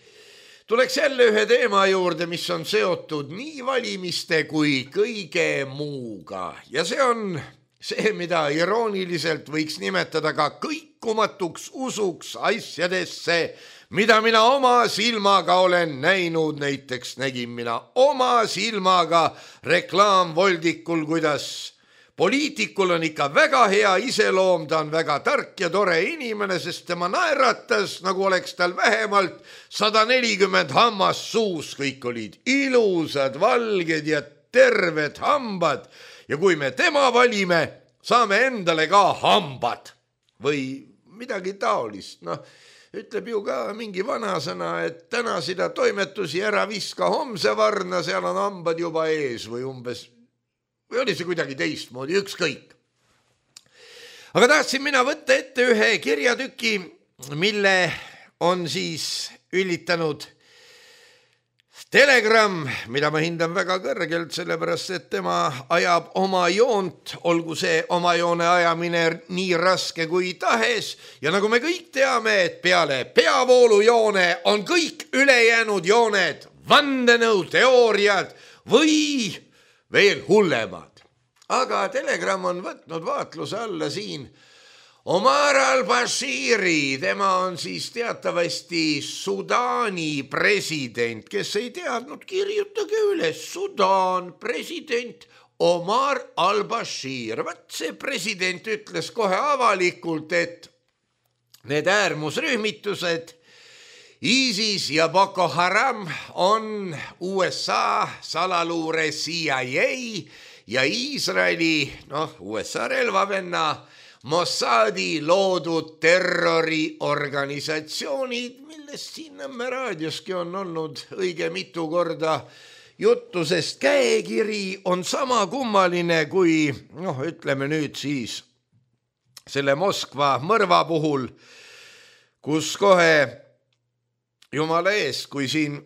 tuleks jälle ühe teema juurde, mis on seotud nii valimiste kui kõige muuga ja see on see, mida irooniliselt võiks nimetada ka kõikumatuks usuks asjadesse, mida mina oma silmaga olen näinud. Näiteks nägin mina oma silmaga reklaamvoldikul, kuidas poliitikul on ikka väga hea iseloom, ta on väga tark ja tore inimene, sest tema naeratas, nagu oleks tal vähemalt sada nelikümmend hammast suus, kõik olid ilusad, valged ja terved hambad ja kui me tema valime, saame endale ka hambad või midagi taolist, noh, ütleb ju ka mingi vanasõna, et täna sida toimetusi ära viska homse varna, seal on hambad juba ees või umbes, või oli see kuidagi teistmoodi, ükskõik. Aga tahtsin mina võtta ette ühe kirjatüki, mille on siis üllitanud Telegram, mida ma hindan väga kõrgelt, sellepärast, et tema ajab oma joont, olgu see oma joone ajamine nii raske kui tahes. Ja nagu me kõik teame, et peale peavoolujoone on kõik ülejäänud jooned, vandenõuteooriad või veel hullemad. Aga Telegram on võtnud vaatluse alla siin Omar al-Bashiri, tema on siis teatavasti Sudaani president, kes ei teadnud, kirjutage üles, Sudaan president Omar al-Bashir. Vat see president ütles kohe avalikult, et need äärmusrühmitused ISIS ja Boko Haram on U S A salaluure C I A ja Iisraeli, noh, U S A relvavenna Mossadi loodud terroriorganisatsioonid, millest siin Nõmme raadioski on olnud õige mitu korda juttu, sest käekiri on sama kummaline kui, noh, ütleme nüüd siis selle Moskva mõrva puhul, kus kohe jumala eest, kui siin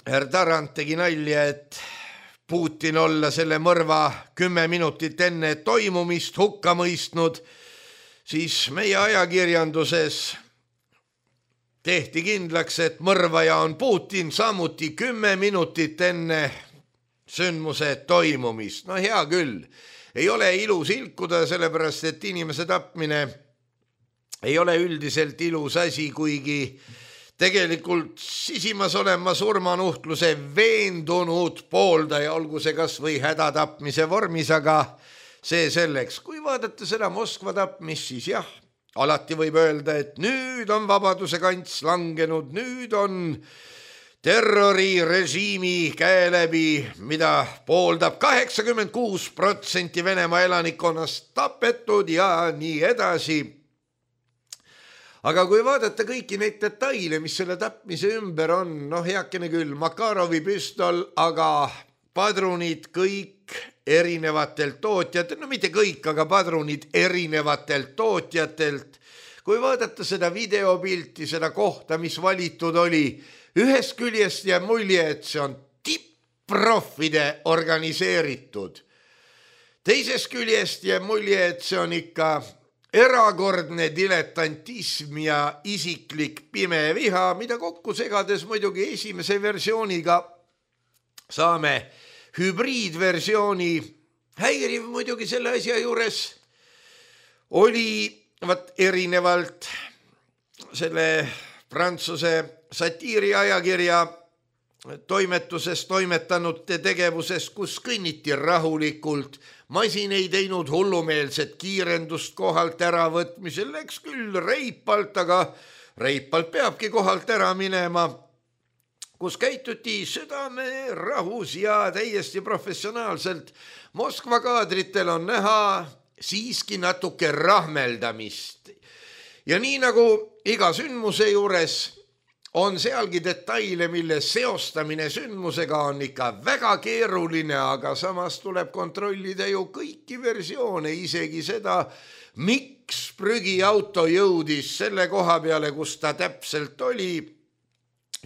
herr Tarand tegi nalja, et Putin olla selle mõrva kümme minutit enne toimumist hukka mõistnud, siis meie ajakirjanduses tehti kindlaks, et mõrvaja on Putin samuti kümme minutit enne sündmuse toimumist. No hea küll, ei ole ilus ilkuda, sellepärast et inimese tapmine ei ole üldiselt ilus asi, kuigi tegelikult sisimas olen ma surmanuhtluse veendunud pooldaja, olgu see kas või hädatapmise vormis, aga see selleks. Kui vaadata seda Moskva tapmist, siis jah, alati võib öelda, et nüüd on vabaduse kants langenud, nüüd on terrorirežiimi käe läbi, mida pooldab kaheksakümmend kuus protsenti Venemaa elanikkonnast tapetud ja nii edasi. Aga kui vaadata kõiki neid detaile, mis selle tapmise ümber on, noh heakene küll, Makarovi püstol, aga padrunid kõik erinevatelt tootjatelt, no mitte kõik, aga padrunid erinevatelt tootjatelt. Kui vaadata seda videopilti, seda kohta, mis valitud oli, ühest küljest jääb mulje, et see on tipp-proffide organiseeritud. Teisest küljest jääb mulje, et see on ikka erakordne diletantism ja isiklik pime viha, mida kokku segades muidugi esimese versiooniga saame hübriidversiooni. Häiriv muidugi selle asja juures oli vat erinevalt selle Prantsuse satiiriajakirja toimetuses toimetanute tegevuses, kus kõnniti rahulikult, masin ei teinud hullumeelset kiirendust kohalt äravõtmisel, läks küll reipalt, aga reipalt peabki kohalt ära minema, kus käituti südame rahus ja täiesti professionaalselt. Moskva kaadritel on näha siiski natuke rahmeldamist. Ja nii nagu iga sündmuse juures on sealgi detaile, mille seostamine sündmusega on ikka väga keeruline, aga samas tuleb kontrollida ju kõiki versioone, isegi seda, miks prügiauto jõudis selle koha peale, kus ta täpselt oli,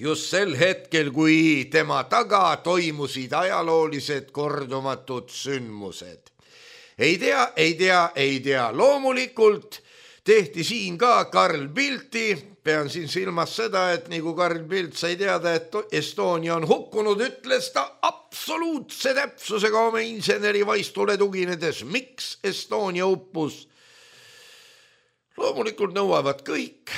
just sel hetkel, kui tema taga toimusid ajaloolised kordumatud sündmused. Ei tea, ei tea, ei tea. Loomulikult tehti siin ka Karl Bildti. Pean siin silmas seda, et nii kui Karl Bildt sai teada, et Estonia on hukkunud, ütles ta absoluutse täpsusega oma insenerivaistule tuginedes, miks Estonia uppus. Loomulikult nõuavad kõik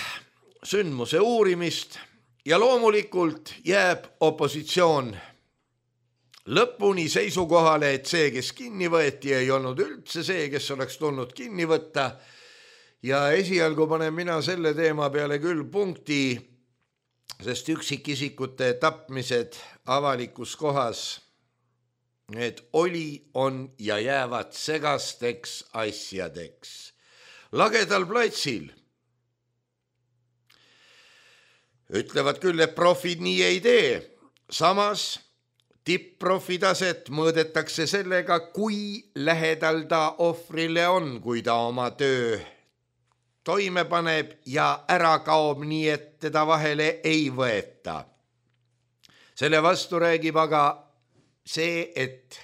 sündmuse uurimist. Ja loomulikult jääb opositsioon lõpuni seisukohale, et see, kes kinni võeti, ei olnud üldse see, kes oleks tulnud kinni võtta. Ja esialgu panen mina selle teema peale küll punkti, sest üksikisikute tapmised avalikus kohas, need oli, on ja jäävad segasteks asjadeks. Lagedal platsil ütlevad küll, et profid nii ei tee. Samas tipp-profi taset mõõdetakse sellega, kui lähedal ta ohvrile on, kui ta oma töö toime paneb ja ära kaob nii, et teda vahele ei võeta. Selle vastu räägib aga see, et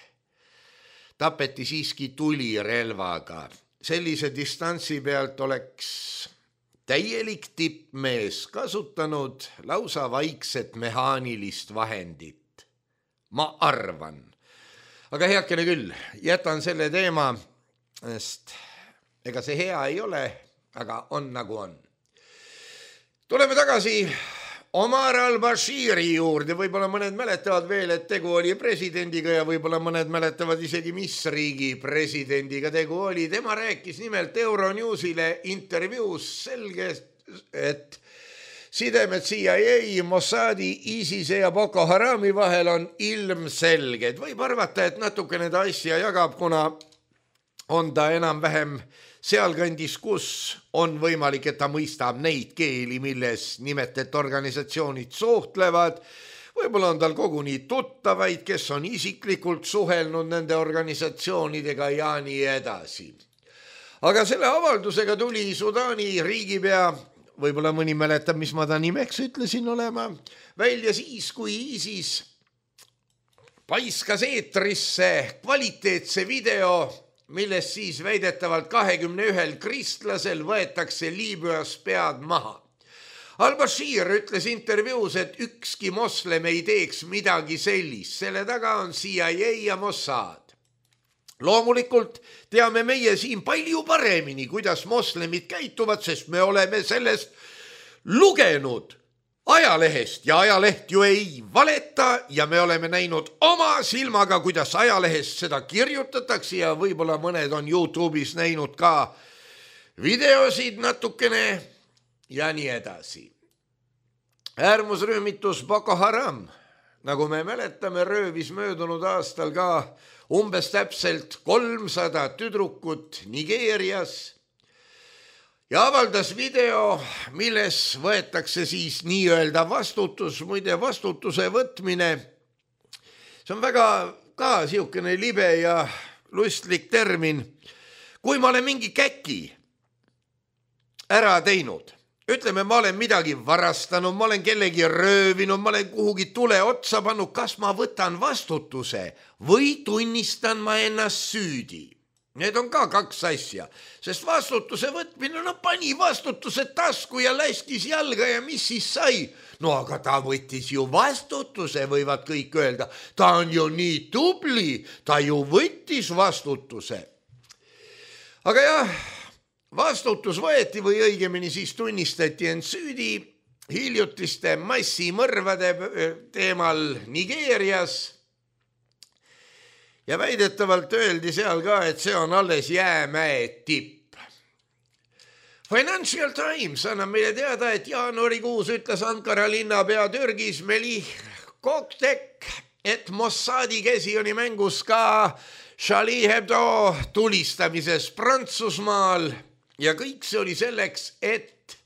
tapeti siiski tulirelvaga. Sellise distantsi pealt oleks täielik tippmees kasutanud lausa vaikset mehaanilist vahendit. Ma arvan. Aga heakene küll, jätan selle teema, sest ega see hea ei ole. aga on nagu on. Tuleme tagasi Omar al-Bashiri juurde, võib-olla mõned mäletavad veel, et tegu oli presidendiga ja võib-olla mõned mäletavad isegi, mis riigi presidendiga tegu oli. Tema rääkis nimelt Euronewsile intervjuus selge, et sidemed C I A, Mossadi, ISISe ja Boko Harami vahel on ilmselged. Võib arvata, et natukene ta asja jagab, kuna on ta enam-vähem sealkandis, kus on võimalik, et ta mõistab neid keeli, milles nimetet organisatsioonid suhtlevad. Võib-olla on tal koguni tuttavaid, kes on isiklikult suhelnud nende organisatsioonidega ja nii edasi. Aga selle avaldusega tuli Sudaani riigipea, võib-olla mõni mäletab, mis ma ta nimeks ütlesin olema, välja siis, kui ISIS paiskas eetrisse kvaliteetse video, milles siis väidetavalt kahekümne ühel kristlasel võetakse Liibüas pead maha. Al-Bashir ütles intervjuus, et ükski moslem ei teeks midagi sellist, selle taga on C I A ja Mossad. Loomulikult teame meie siin palju paremini, kuidas moslemid käituvad, sest me oleme sellest lugenud ajalehest ja ajaleht ju ei valeta ja me oleme näinud oma silmaga, kuidas ajalehest seda kirjutatakse ja võib-olla mõned on YouTube'is näinud ka videosid natukene ja nii edasi. Äärmusrühmitus Boko Haram, nagu me mäletame, röövis möödunud aastal ka umbes täpselt kolmsada tüdrukut Nigeerias ja avaldas video, milles võetakse siis nii-öelda vastutus, muide vastutuse võtmine. See on väga ka siukene libe ja lustlik termin. Kui ma olen mingi käki ära teinud, ütleme, ma olen midagi varastanud, ma olen kellegi röövinud, ma olen kuhugi tule otsa pannud, kas ma võtan vastutuse või tunnistan ma ennast süüdi? Need on ka kaks asja, sest vastutuse võtmine, no pani vastutuse tasku ja läskis jalga ja mis siis sai? No aga ta võttis ju vastutuse, võivad kõik öelda. Ta on ju nii tubli, ta ju võttis vastutuse. Aga jah, vastutus võeti või õigemini siis tunnistati end süüdi hiljutiste massimõrvade teemal Nigeerias. Ja väidetavalt öeldi seal ka, et see on alles jäämäe tipp. Financial Times annab meile teada, et jaanuarikuus ütles Ankara linnapea Türgis Melih Koktek, et Mossadi käsi oli mängus ka Charlie Hebdo tulistamises Prantsusmaal ja kõik see oli selleks, et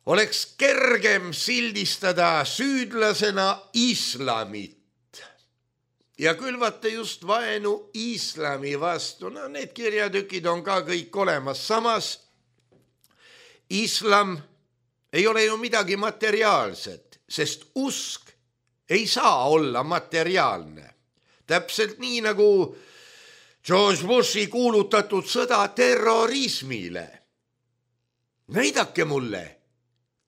oleks kergem sildistada süüdlasena islamit ja külvata just vaenu islami vastu. No need kirjatükid on ka kõik olemas. Samas islam ei ole ju midagi materiaalset, sest usk ei saa olla materiaalne. Täpselt nii nagu George Bushi kuulutatud sõda terrorismile. Näidake mulle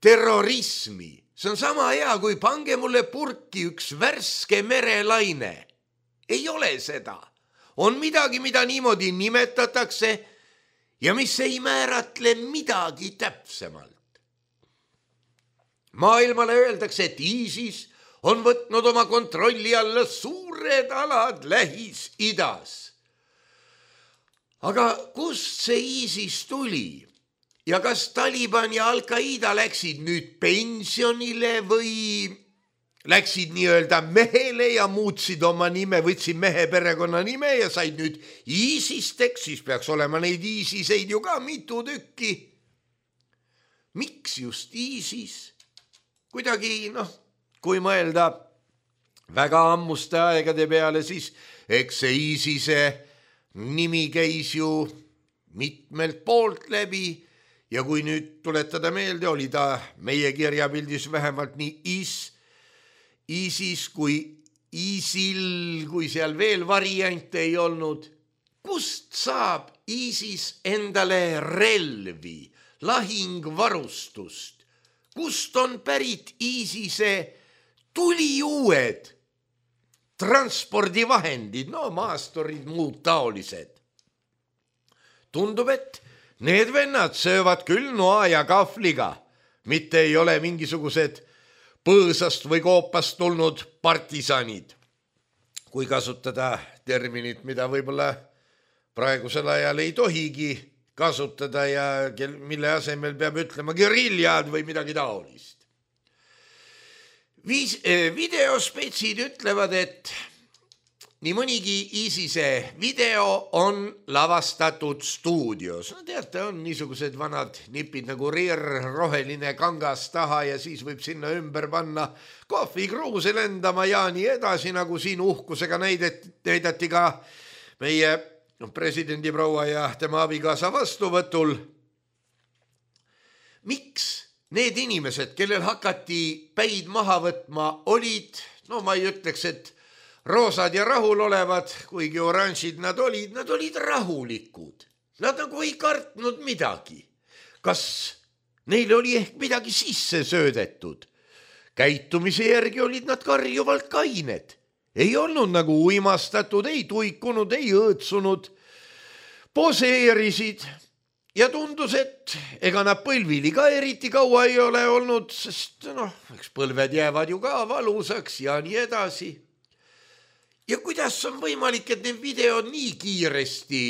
terrorismi. See on sama hea, kui pange mulle purki üks värske merelaine. Ei ole seda. On midagi, mida niimoodi nimetatakse ja mis ei määratle midagi täpsemalt. Maailmale öeldakse, et ISIS on võtnud oma kontrolli alla suured alad Lähis-Idas. Aga kust see ISIS tuli? Ja kas Taliban ja Al-Qaida läksid nüüd pensionile või läksid nii-öelda mehele ja muutsid oma nime, võtsid mehe perekonna nime ja said nüüd ISIS-teks, siis peaks olema neid ISISeid ju ka mitu tükki. Miks just ISIS? Kuidagi, noh, kui mõelda väga ammuste aegade peale, siis eks see ISISe nimi käis ju mitmelt poolt läbi ja kui nüüd tuletada meelde, oli ta meie kirjapildis vähemalt nii is, ISIS kui ISIL, kui seal veel variante ei olnud. Kust saab ISIS endale relvi, lahingvarustust? Kust on pärit ISISe tuliuued transpordivahendid, no maasturid, muud taolised? Tundub, et Need vennad söövad küll noa ja kahvliga, mitte ei ole mingisugused põõsast või koopast tulnud partisanid. Kui kasutada terminit, mida võib-olla praegusel ajal ei tohigi kasutada ja mille asemel peab ütlema geriljad või midagi taolist. Viis, videospetsid ütlevad, et nii mõnigi ISISe video on lavastatud stuudios. No teate, on niisugused vanad nipid nagu rear, roheline kangas taha ja siis võib sinna ümber panna kohvikruuse lendama ja nii edasi, nagu siin uhkusega näidet, näidati ka meie presidendi proua ja tema abikaasa vastuvõtul. Miks need inimesed, kellel hakati päid maha võtma, olid, no ma ei ütleks, et roosad ja rahul olevad, kuigi oranžid nad olid, nad olid rahulikud. Nad nagu ei kartnud midagi. Kas neile oli ehk midagi sisse söödetud? Käitumise järgi olid nad karjuvalt kained. Ei olnud nagu uimastatud, ei tuikunud, ei õõtsunud. Poseerisid ja tundus, et ega nad põlvili ka eriti kaua ei ole olnud, sest noh, eks põlved jäävad ju ka valusaks ja nii edasi. Ja kuidas on võimalik, et need videod nii kiiresti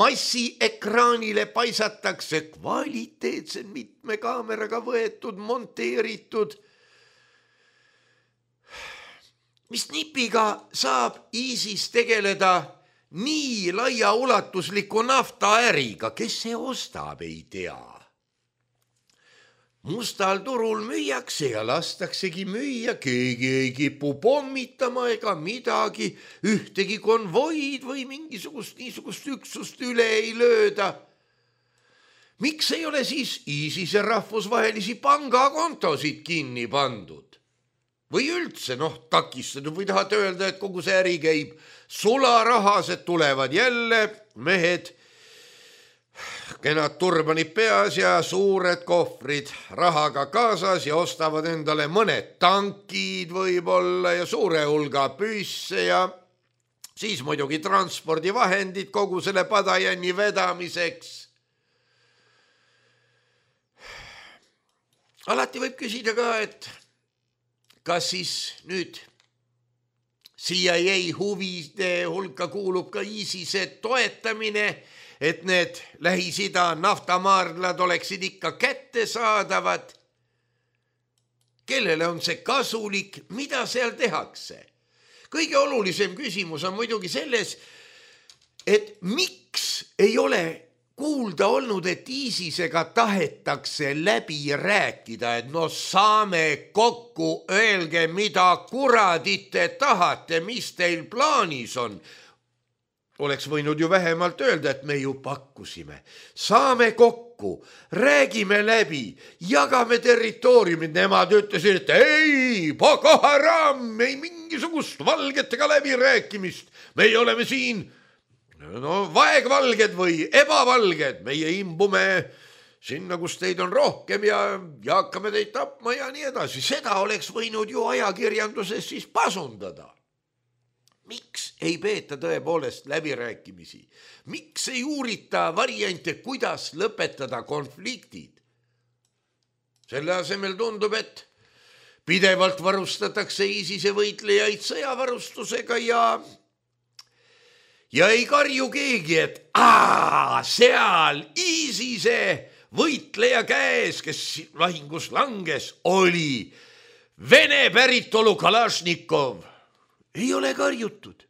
massiekraanile paisatakse, kvaliteetsed mitme kaameraga võetud, monteeritud? Mis nipiga saab ISIS tegeleda nii laia ulatusliku naftaäriga, kes see ostab, ei tea. Mustal turul müüakse ja lastaksegi müüa, keegi ei kipu pommitama ega midagi, ühtegi konvoid või mingisugust niisugust üksust üle ei lööda. Miks ei ole siis ISISe rahvusvahelisi pangakontosid kinni pandud? Või üldse, noh, takistatud või tahate öelda, et kogu see äri käib sularahased, tulevad jälle mehed, kenad turbanid peas ja suured kohvrid rahaga kaasas ja ostavad endale mõned tankid võib-olla ja suure hulga püsse ja siis muidugi transpordivahendid kogu selle padajänni vedamiseks. Alati võib küsida ka, et kas siis nüüd C I A huvide hulka kuulub ka ISISe toetamine, et need Lähis-Ida naftamaardlad oleksid ikka kättesaadavad? Kellele on see kasulik, mida seal tehakse? Kõige olulisem küsimus on muidugi selles, et miks ei ole kuulda olnud, et ISISega tahetakse läbi rääkida, et no saame kokku, öelge, mida kuradit te tahate, mis teil plaanis on. Oleks võinud ju vähemalt öelda, et me ju pakkusime. Saame kokku, räägime läbi, jagame territooriumid. Nemad ütlesid, et ei, Boko Haram, ei mingisugust valgetega läbi rääkimist. Meie oleme siin no vaegvalged või ebavalged, meie imbume sinna, kus teid on rohkem ja, ja hakkame teid tapma ja nii edasi. Seda oleks võinud ju ajakirjanduses siis pasundada. Miks ei peeta tõepoolest läbirääkimisi? Miks ei uurita variante, kuidas lõpetada konfliktid? Selle asemel tundub, et pidevalt varustatakse ISISe võitlejaid sõjavarustusega ja Ja ei karju keegi, et aa, seal ISISe võitleja käes, kes lahingus langes, oli Vene päritolu Kalašnikov. Ei ole karjutud.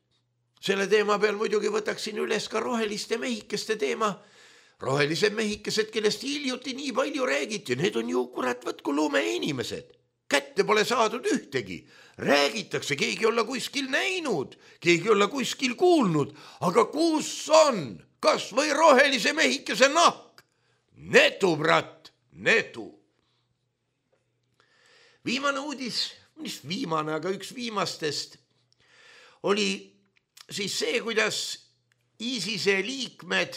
Selle teema peal muidugi võtaksin üles ka roheliste mehikeste teema. Rohelised mehikesed, kellest hiljuti nii palju räägiti, need on ju kurat võtku lume inimesed. Kätte pole saadud ühtegi. Räägitakse, keegi olla kuskil näinud, keegi olla kuskil kuulnud, aga kus on, kas või rohelise mehikese nahk? Netu, brat, netu. Viimane uudis, mis viimane, aga üks viimastest, oli siis see, kuidas ISISe liikmed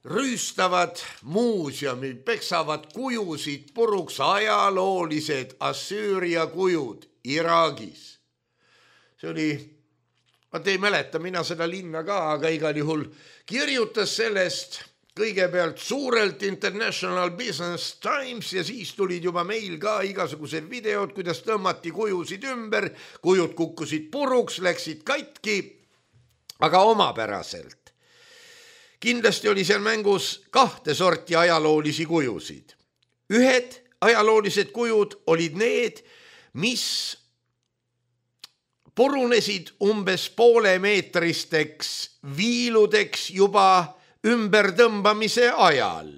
rüüstavad muuseumi, peksavad kujusid puruks, ajaloolised Assüüria kujud Iraagis. See oli, ma ei mäleta, mina seda linna ka, aga igal juhul kirjutas sellest kõigepealt suurelt International Business Times ja siis tulid juba meil ka igasugused videod, kuidas tõmmati kujusid ümber, kujud kukkusid puruks, läksid katki, aga omapäraselt. Kindlasti oli seal mängus kahte sorti ajaloolisi kujusid. Ühed ajaloolised kujud olid need, mis purunesid umbes poole meetristeks viiludeks juba ümbertõmbamise ajal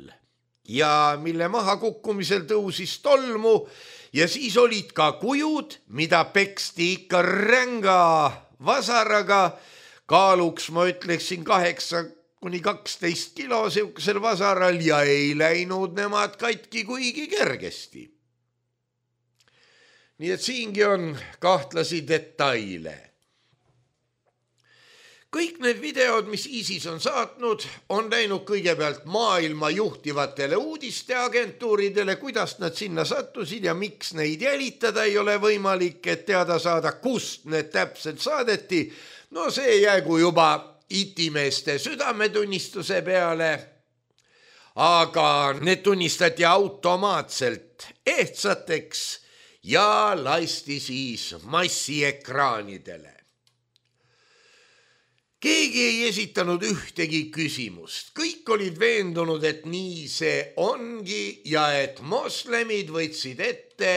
ja mille maha kukkumisel tõusis tolmu ja siis olid ka kujud, mida peksti ikka ränga vasaraga, kaaluks ma ütleksin kaheksa kuni kaksteist kilo siukesel vasaral ja ei läinud nemad katki kuigi kergesti. Nii et siingi on kahtlasi detaile. Kõik need videod, mis ISIS on saatnud, on läinud kõigepealt maailma juhtivatele uudisteagentuuridele, kuidas nad sinna sattusid ja miks neid jälitada ei ole võimalik, et teada saada, kust need täpselt saadeti. No see jäägu juba itimeeste südametunnistuse peale, aga need tunnistati automaatselt ehtsateks ja lasti siis massiekraanidele. Keegi ei esitanud ühtegi küsimust. Kõik olid veendunud, et nii see ongi ja et moslemid võtsid ette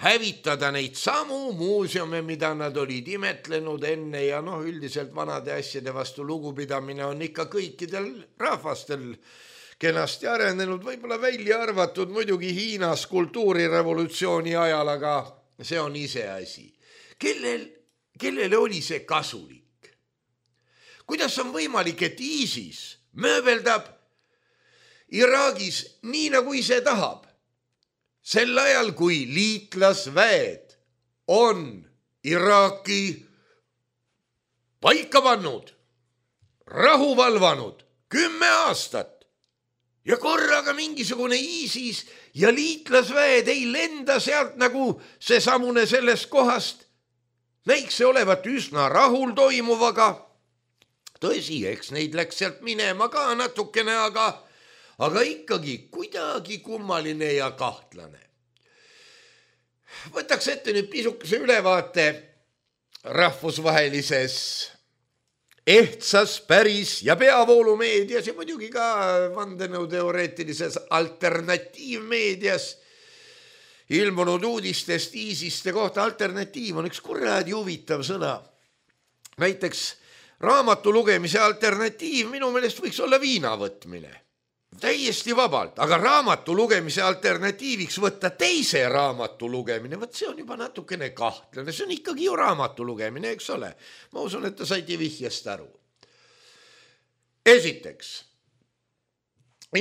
hävitada neid samu muuseume, mida nad olid imetlenud enne ja noh, üldiselt vanade asjade vastu lugupidamine on ikka kõikidel rahvastel kenasti arenenud, võib-olla välja arvatud muidugi Hiinas kultuurirevolutsiooni ajal, aga see on ise asi. Kellel, kellele oli see kasulik? Kuidas on võimalik, et ISIS mööbeldab Iraagis nii, nagu ise tahab? Sel ajal, kui liitlasväed on Iraaki paika pannud, rahu valvanud kümme aastat ja korraga mingisugune ISIS ja liitlasväed ei lenda sealt nagu see samune sellest kohast. Näiks see olevat üsna rahul toimuvaga. Tõsi, eks neid läks sealt minema ka natukene, aga, aga ikkagi kuidagi kummaline ja kahtlane. Võtaks ette nüüd pisukese ülevaate rahvusvahelises ehtsas, päris ja peavoolumeedias ja muidugi ka vandenõuteoreetilises alternatiivmeedias ilmunud uudistest ISISte kohta. Alternatiiv on üks kuradi huvitav sõna. Näiteks raamatu lugemise alternatiiv minu meelest võiks olla viina võtmine. Täiesti vabalt, aga raamatu lugemise alternatiiviks võtta teise raamatu lugemine, võt see on juba natukene kahtlane, see on ikkagi ju raamatu lugemine, eks ole. Ma usun, et ta saiti vihjest aru. Esiteks,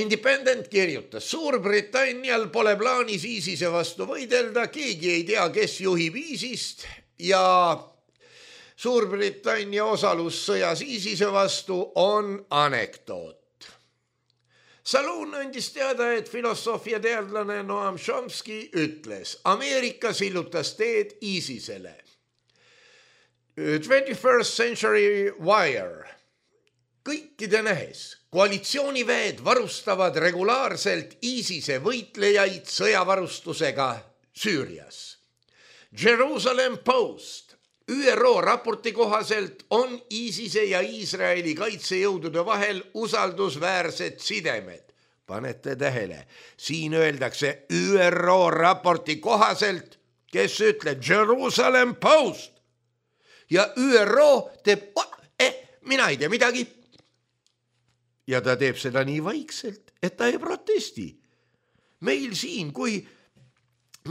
Independent kirjutas, Suurbritannial pole plaanis ISISe vastu võidelda, keegi ei tea, kes juhib ISISt ja Suurbritannia osalus sõjas ISISe vastu on anekdoot. Saloon andis teada, et filosoofia teadlane Noam Chomsky ütles, Ameerika sillutas teed ISISele. twenty-first Century Wire. Kõikide nähes, koalitsiooniväed varustavad regulaarselt ISISe võitlejaid sõjavarustusega Süürias. Jerusalem Post. Ü R O raporti kohaselt on ISISe ja Iisraeli kaitsejõudude vahel usaldusväärsed sidemed. Panete tähele, siin öeldakse Ü R O raporti kohaselt, kes ütleb Jerusalem Post. Ja Ü R O teeb, eh, mina ei tea midagi. Ja ta teeb seda nii vaikselt, et ta ei protesti. Meil siin, kui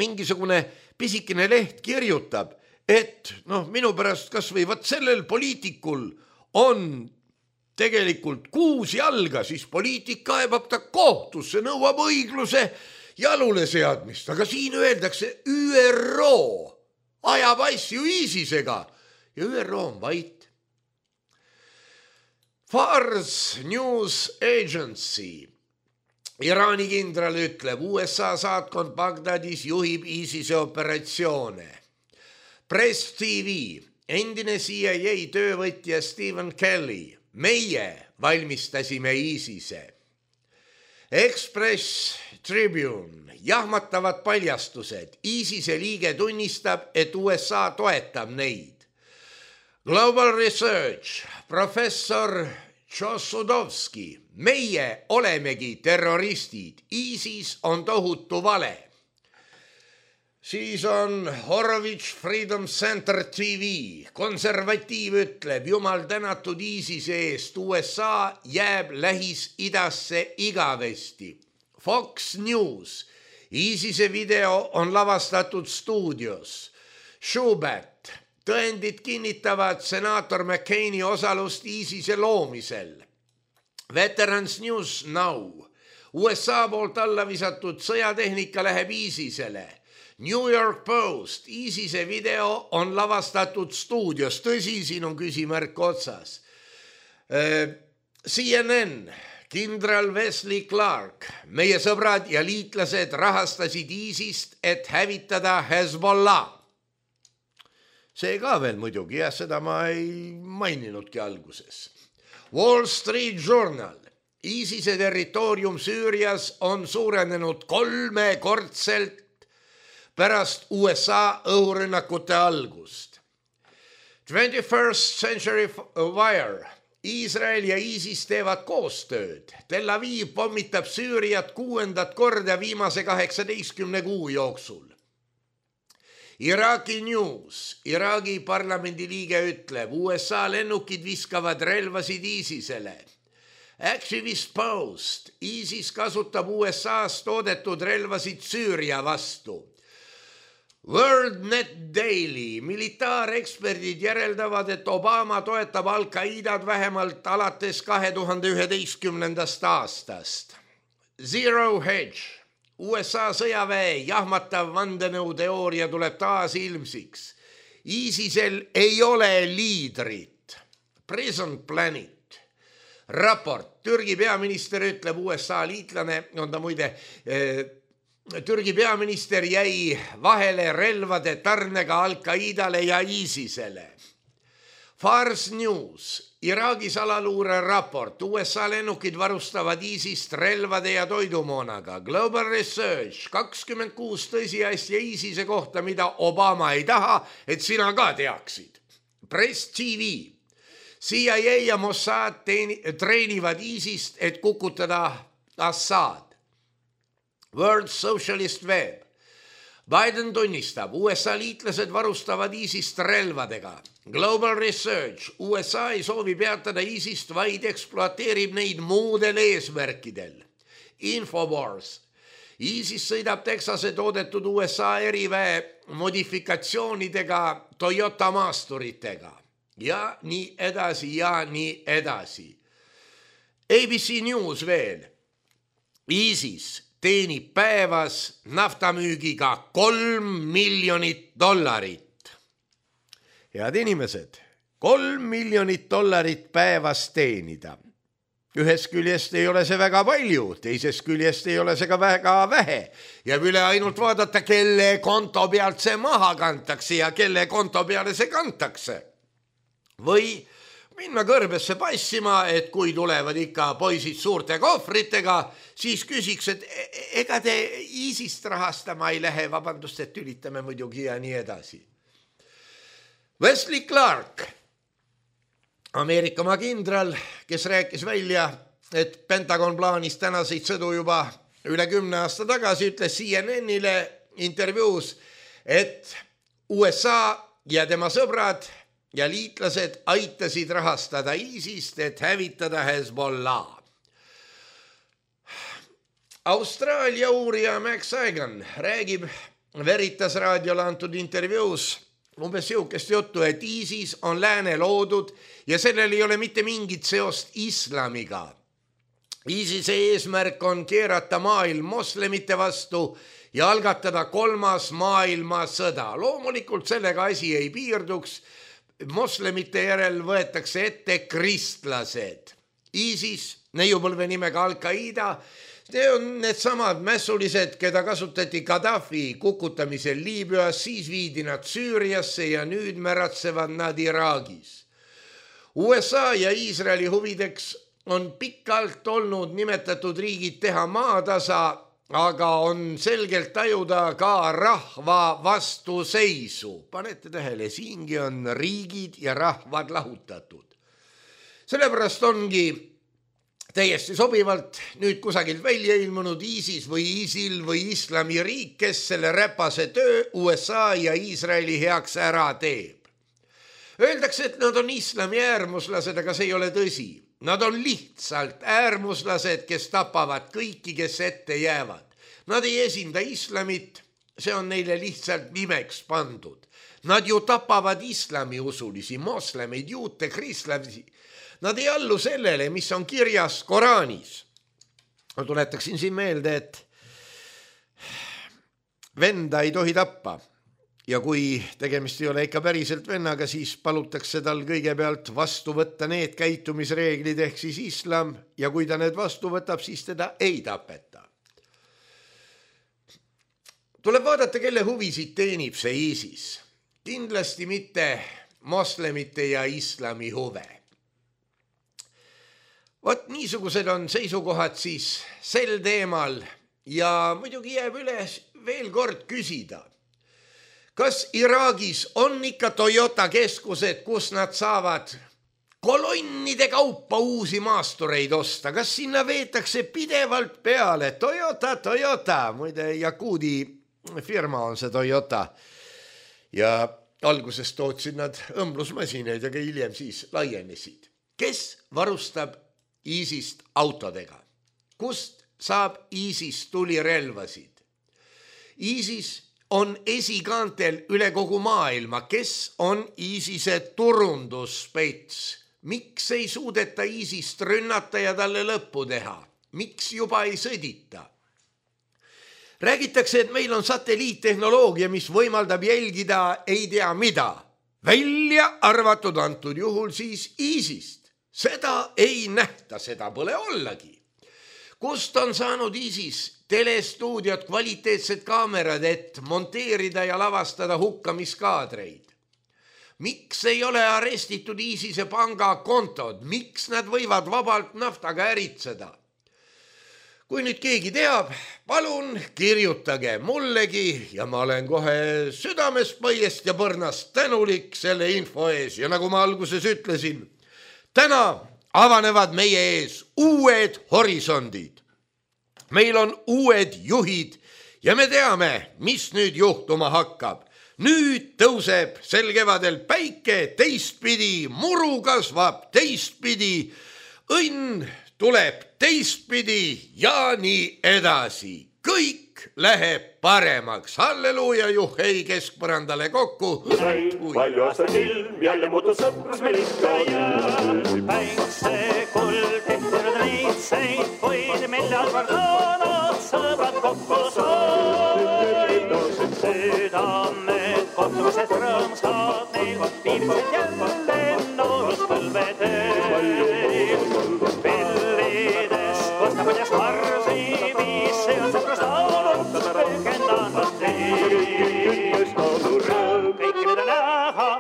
mingisugune pisikene leht kirjutab, et noh, minu pärast kas või võt sellel poliitikul on tegelikult kuus jalga, siis poliitik kaebab ta kohtusse, nõuab õigluse jalule seadmist. Aga siin öeldakse Ü R O ajab asju ISISega ja Ü R O on vait. Fars News Agency. Iraani kindral ütleb, U S A saatkond Bagdadis juhib ISISe operatsioone. Press T V, endine C I A töövõtja Stephen Kelly, meie valmistasime ISISe. Express Tribune, jahmatavad paljastused. ISISe liige tunnistab, et U S A toetab neid. Global Research, professor Tšosudovski, meie olemegi terroristid, ISIS on tohutu vale. Siis on Horowitz Freedom Center T V, konservatiiv ütleb, jumal tänatud ISISe eest, U S A jääb Lähis-Idasse igavesti. Fox News, ISISe video on lavastatud stuudios. Schubert, tõendid kinnitavad senaator McCaini osalust ISISe loomisel. Veterans News Now, U S A poolt alla visatud sõjatehnika läheb ISISele. New York Post, ISISe video on lavastatud stuudios, tõsi, siin on küsimärk otsas. C N N, kindral Wesley Clark, meie sõbrad ja liitlased rahastasid ISISt, et hävitada Hezbollah. See ka veel muidugi, jah, seda ma ei maininudki alguses. Wall Street Journal, ISISe territoorium Süürias on suurenenud kolmekordselt pärast U S A õhurünnakute algust. twenty-first Century Wire, Iisrael ja ISIS teevad koostööd. Tel Aviv pommitab Süüriat kuuendat korda viimase kaheksateistkümne kuu jooksul. Iraki News, Iragi parlamendi liige ütleb, U S A lennukid viskavad relvasid ISISele. Activist Post, ISIS kasutab U S A-s toodetud relvasid Süüria vastu. World Net Daily, militaareksperdid järeldavad, et Obama toetab Al-Qaidad vähemalt alates kahe tuhande üheteistkümnendast aastast. Zero Hedge, U S A sõjaväe jahmatav vandenõuteooria tuleb taas ilmsiks. ISISel ei ole liidrit. Prison Planet, raport, Türgi peaminister ütleb, U S A liitlane, on ta muide... Eh, Türgi peaminister jäi vahele relvade tarnega Al-Qaidale ja ISISele. Fars News, Iragi salaluure raport, U S A lennukid varustavad ISISt relvade ja toidumoonaga. Global Research, kakskümmend kuus tõsiasja ISISe kohta, mida Obama ei taha, et sina ka teaksid. Press T V, C I A ja Mossad teeni, treenivad ISISt, et kukutada Assad. World Socialist Web, Biden tunnistab, U S A liitlased varustavad ISISt relvadega. Global Research, U S A ei soovi peatada ISISt, vaid ekspluateerib neid muudel eesmärkidel. Infowars, ISIS sõidab Texase toodetud U S A eriväe modifikatsioonidega Toyota maasturitega. Ja nii edasi ja nii edasi. A B C News veel, ISIS teenib päevas naftamüügiga kolm miljonit dollarit. Head inimesed, kolm miljonit dollarit päevas teenida. Ühest küljest ei ole see väga palju, teisest küljest ei ole see ka väga vähe. Ja üle ainult vaadata, kelle konto pealt see maha kantakse ja kelle konto peale see kantakse. Või minna kõrbesse passima, et kui tulevad ikka poisid suurte kohvritega, siis küsiks, et ega te ISISt rahastama ei lähe, vabandust, et tülitame muidugi ja nii edasi. Wesley Clark, Ameerikamaa kindral, kes rääkis välja, et Pentagon plaanis tänaseid sõdu juba üle kümne aasta tagasi, ütles C N N-ile intervjuus, et U S A ja tema sõbrad ja liitlased aitasid rahastada ISISt, et hävitada Hezbollah. Austraalia uurija Max Sagan räägib Veritas raadiole antud intervjuus umbes siukest juttu, et ISIS on lääne loodud ja sellel ei ole mitte mingit seost islamiga. ISISe eesmärk on keerata maailm moslemite vastu ja algatada kolmas maailmasõda. Loomulikult sellega asi ei piirduks. Moslemite järel võetakse ette kristlased. ISIS, neiupõlve nimega Al-Qaida, see on need samad mässulised, keda kasutati Gaddafi kukutamisel Liibüas, siis viidi nad Süüriasse ja nüüd märatsevad nad Iraagis. U S A ja Iisraeli huvideks on pikalt olnud nimetatud riigid teha maatasa, aga on selgelt tajuda ka rahva vastuseisu. Panete tähele, siingi on riigid ja rahvad lahutatud. Sellepärast ongi täiesti sobivalt nüüd kusagilt välja ilmunud ISIS või ISIL või islamiriik, kes selle räpase töö U S A ja Iisraeli heaks ära teeb. Öeldakse, et nad on islami äärmuslased, aga see ei ole tõsi. Nad on lihtsalt äärmuslased, kes tapavad kõiki, kes ette jäävad. Nad ei esinda islamit, see on neile lihtsalt nimeks pandud. Nad ju tapavad islami usulisi, moslemeid, juute, kristlasi. Nad ei allu sellele, mis on kirjas Koraanis. Ma tuletaksin siin meelde, et venda ei tohi tappa. Ja kui tegemist ei ole ikka päriselt vennaga, siis palutakse tal kõigepealt vastu võtta need käitumisreeglid ehk siis islam ja kui ta need vastu võtab, siis teda ei tapeta. Tuleb vaadata, kelle huvisid teenib see ISIS. Kindlasti mitte moslemite ja islami huve. Vot niisugused on seisukohad siis sel teemal ja muidugi jääb üles veel kord küsida. Kas Iraagis on ikka Toyota keskused, kus nad saavad kolonnide kaupa uusi maastureid osta? Kas sinna veetakse pidevalt peale? Toyota, Toyota, muide Jakuudi firma on see Toyota. Ja alguses tootsid nad õmblusmasinaid, aga hiljem siis laienesid. Kes varustab ISISt autodega? Kust saab ISIS tulirelvasid? ISIS on esikaantel üle kogu maailma. Kes on ISISe turundusspets? Miks ei suudeta ISISt rünnata ja talle lõppu teha? Miks juba ei sõdita? Räägitakse, et meil on satelliittehnoloogia, mis võimaldab jälgida ei tea mida. Välja arvatud antud juhul siis ISISt. Seda ei nähta, seda pole ollagi. Kust on saanud ISIS telestuudiot, kvaliteetsed kaamerad, et monteerida ja lavastada hukkamiskaadreid? Miks ei ole arestitud ISISe pangakontod? Miks nad võivad vabalt naftaga äritseda? Kui nüüd keegi teab, palun kirjutage mullegi ja ma olen kohe südamest, põiest ja põrnast tänulik selle info ees. Ja nagu ma alguses ütlesin, täna avanevad meie ees uued horisondid. Meil on uued juhid ja me teame, mis nüüd juhtuma hakkab. Nüüd tõuseb sel kevadel päike teistpidi, muru kasvab teistpidi, õnn tuleb teistpidi ja nii edasi. Kõik läheb paremaks. Halleluuja, juhhei keskpõrandale kokku. Palju aastaid ilm, jälle muutus sõprus meil ikka jääb. Päikse kuld tehtud neitseid, võid millal vardanad sõbrad kokku said. Südamed kohtumised rõõmsad, neil viimised jälle noorus põlvedel. Pillidest kostapõdjas varsi viis, see on sõprus laulud, rõgendanud teil. Kõik nüüd on näha,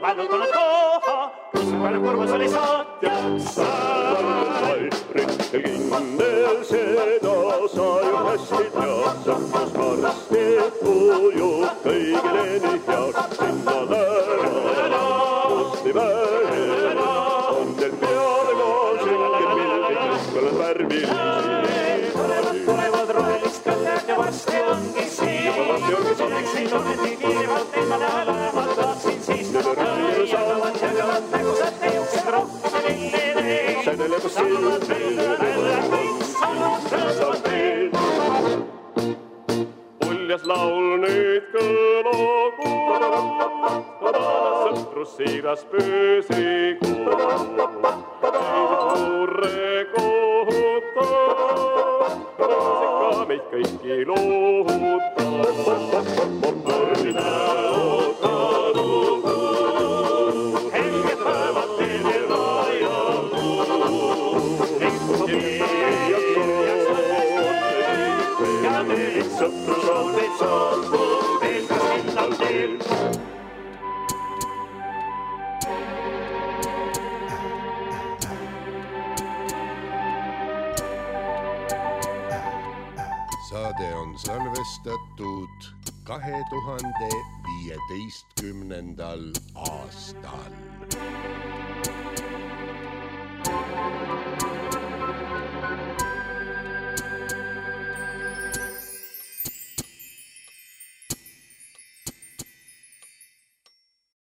vällutunud koha, kus palju kurvus oli saatjaks sai. Rüttel kindel seda sa ju hästi tead, sõprus varsti ujub kõigile nii heaks. Sinna lära, kusti vähe, on teil peale koos ülged mildi, kõlad värvilisi. Tulevad rohelist kõlled ja varsti ongi siin. Oleksin ometi kiirivalt teema näha lähevad, tahtsin siis jagavad, jagavad nägusad teuksid rohkuse lillile. Sädeleb silmad välja, kõik saavad rõõmsavad veel. Uljas laul nüüd kõlagu, sõprus siiras püsigu. Suure kohuta, see ka meid kõiki lohuta. Mõrna ootanud, helged päevad teile vajadu. Ja nüüd sõprus on teid saanud, veel kas millal teel. salvestatud kahe tuhande viieteistkümnendal aastal.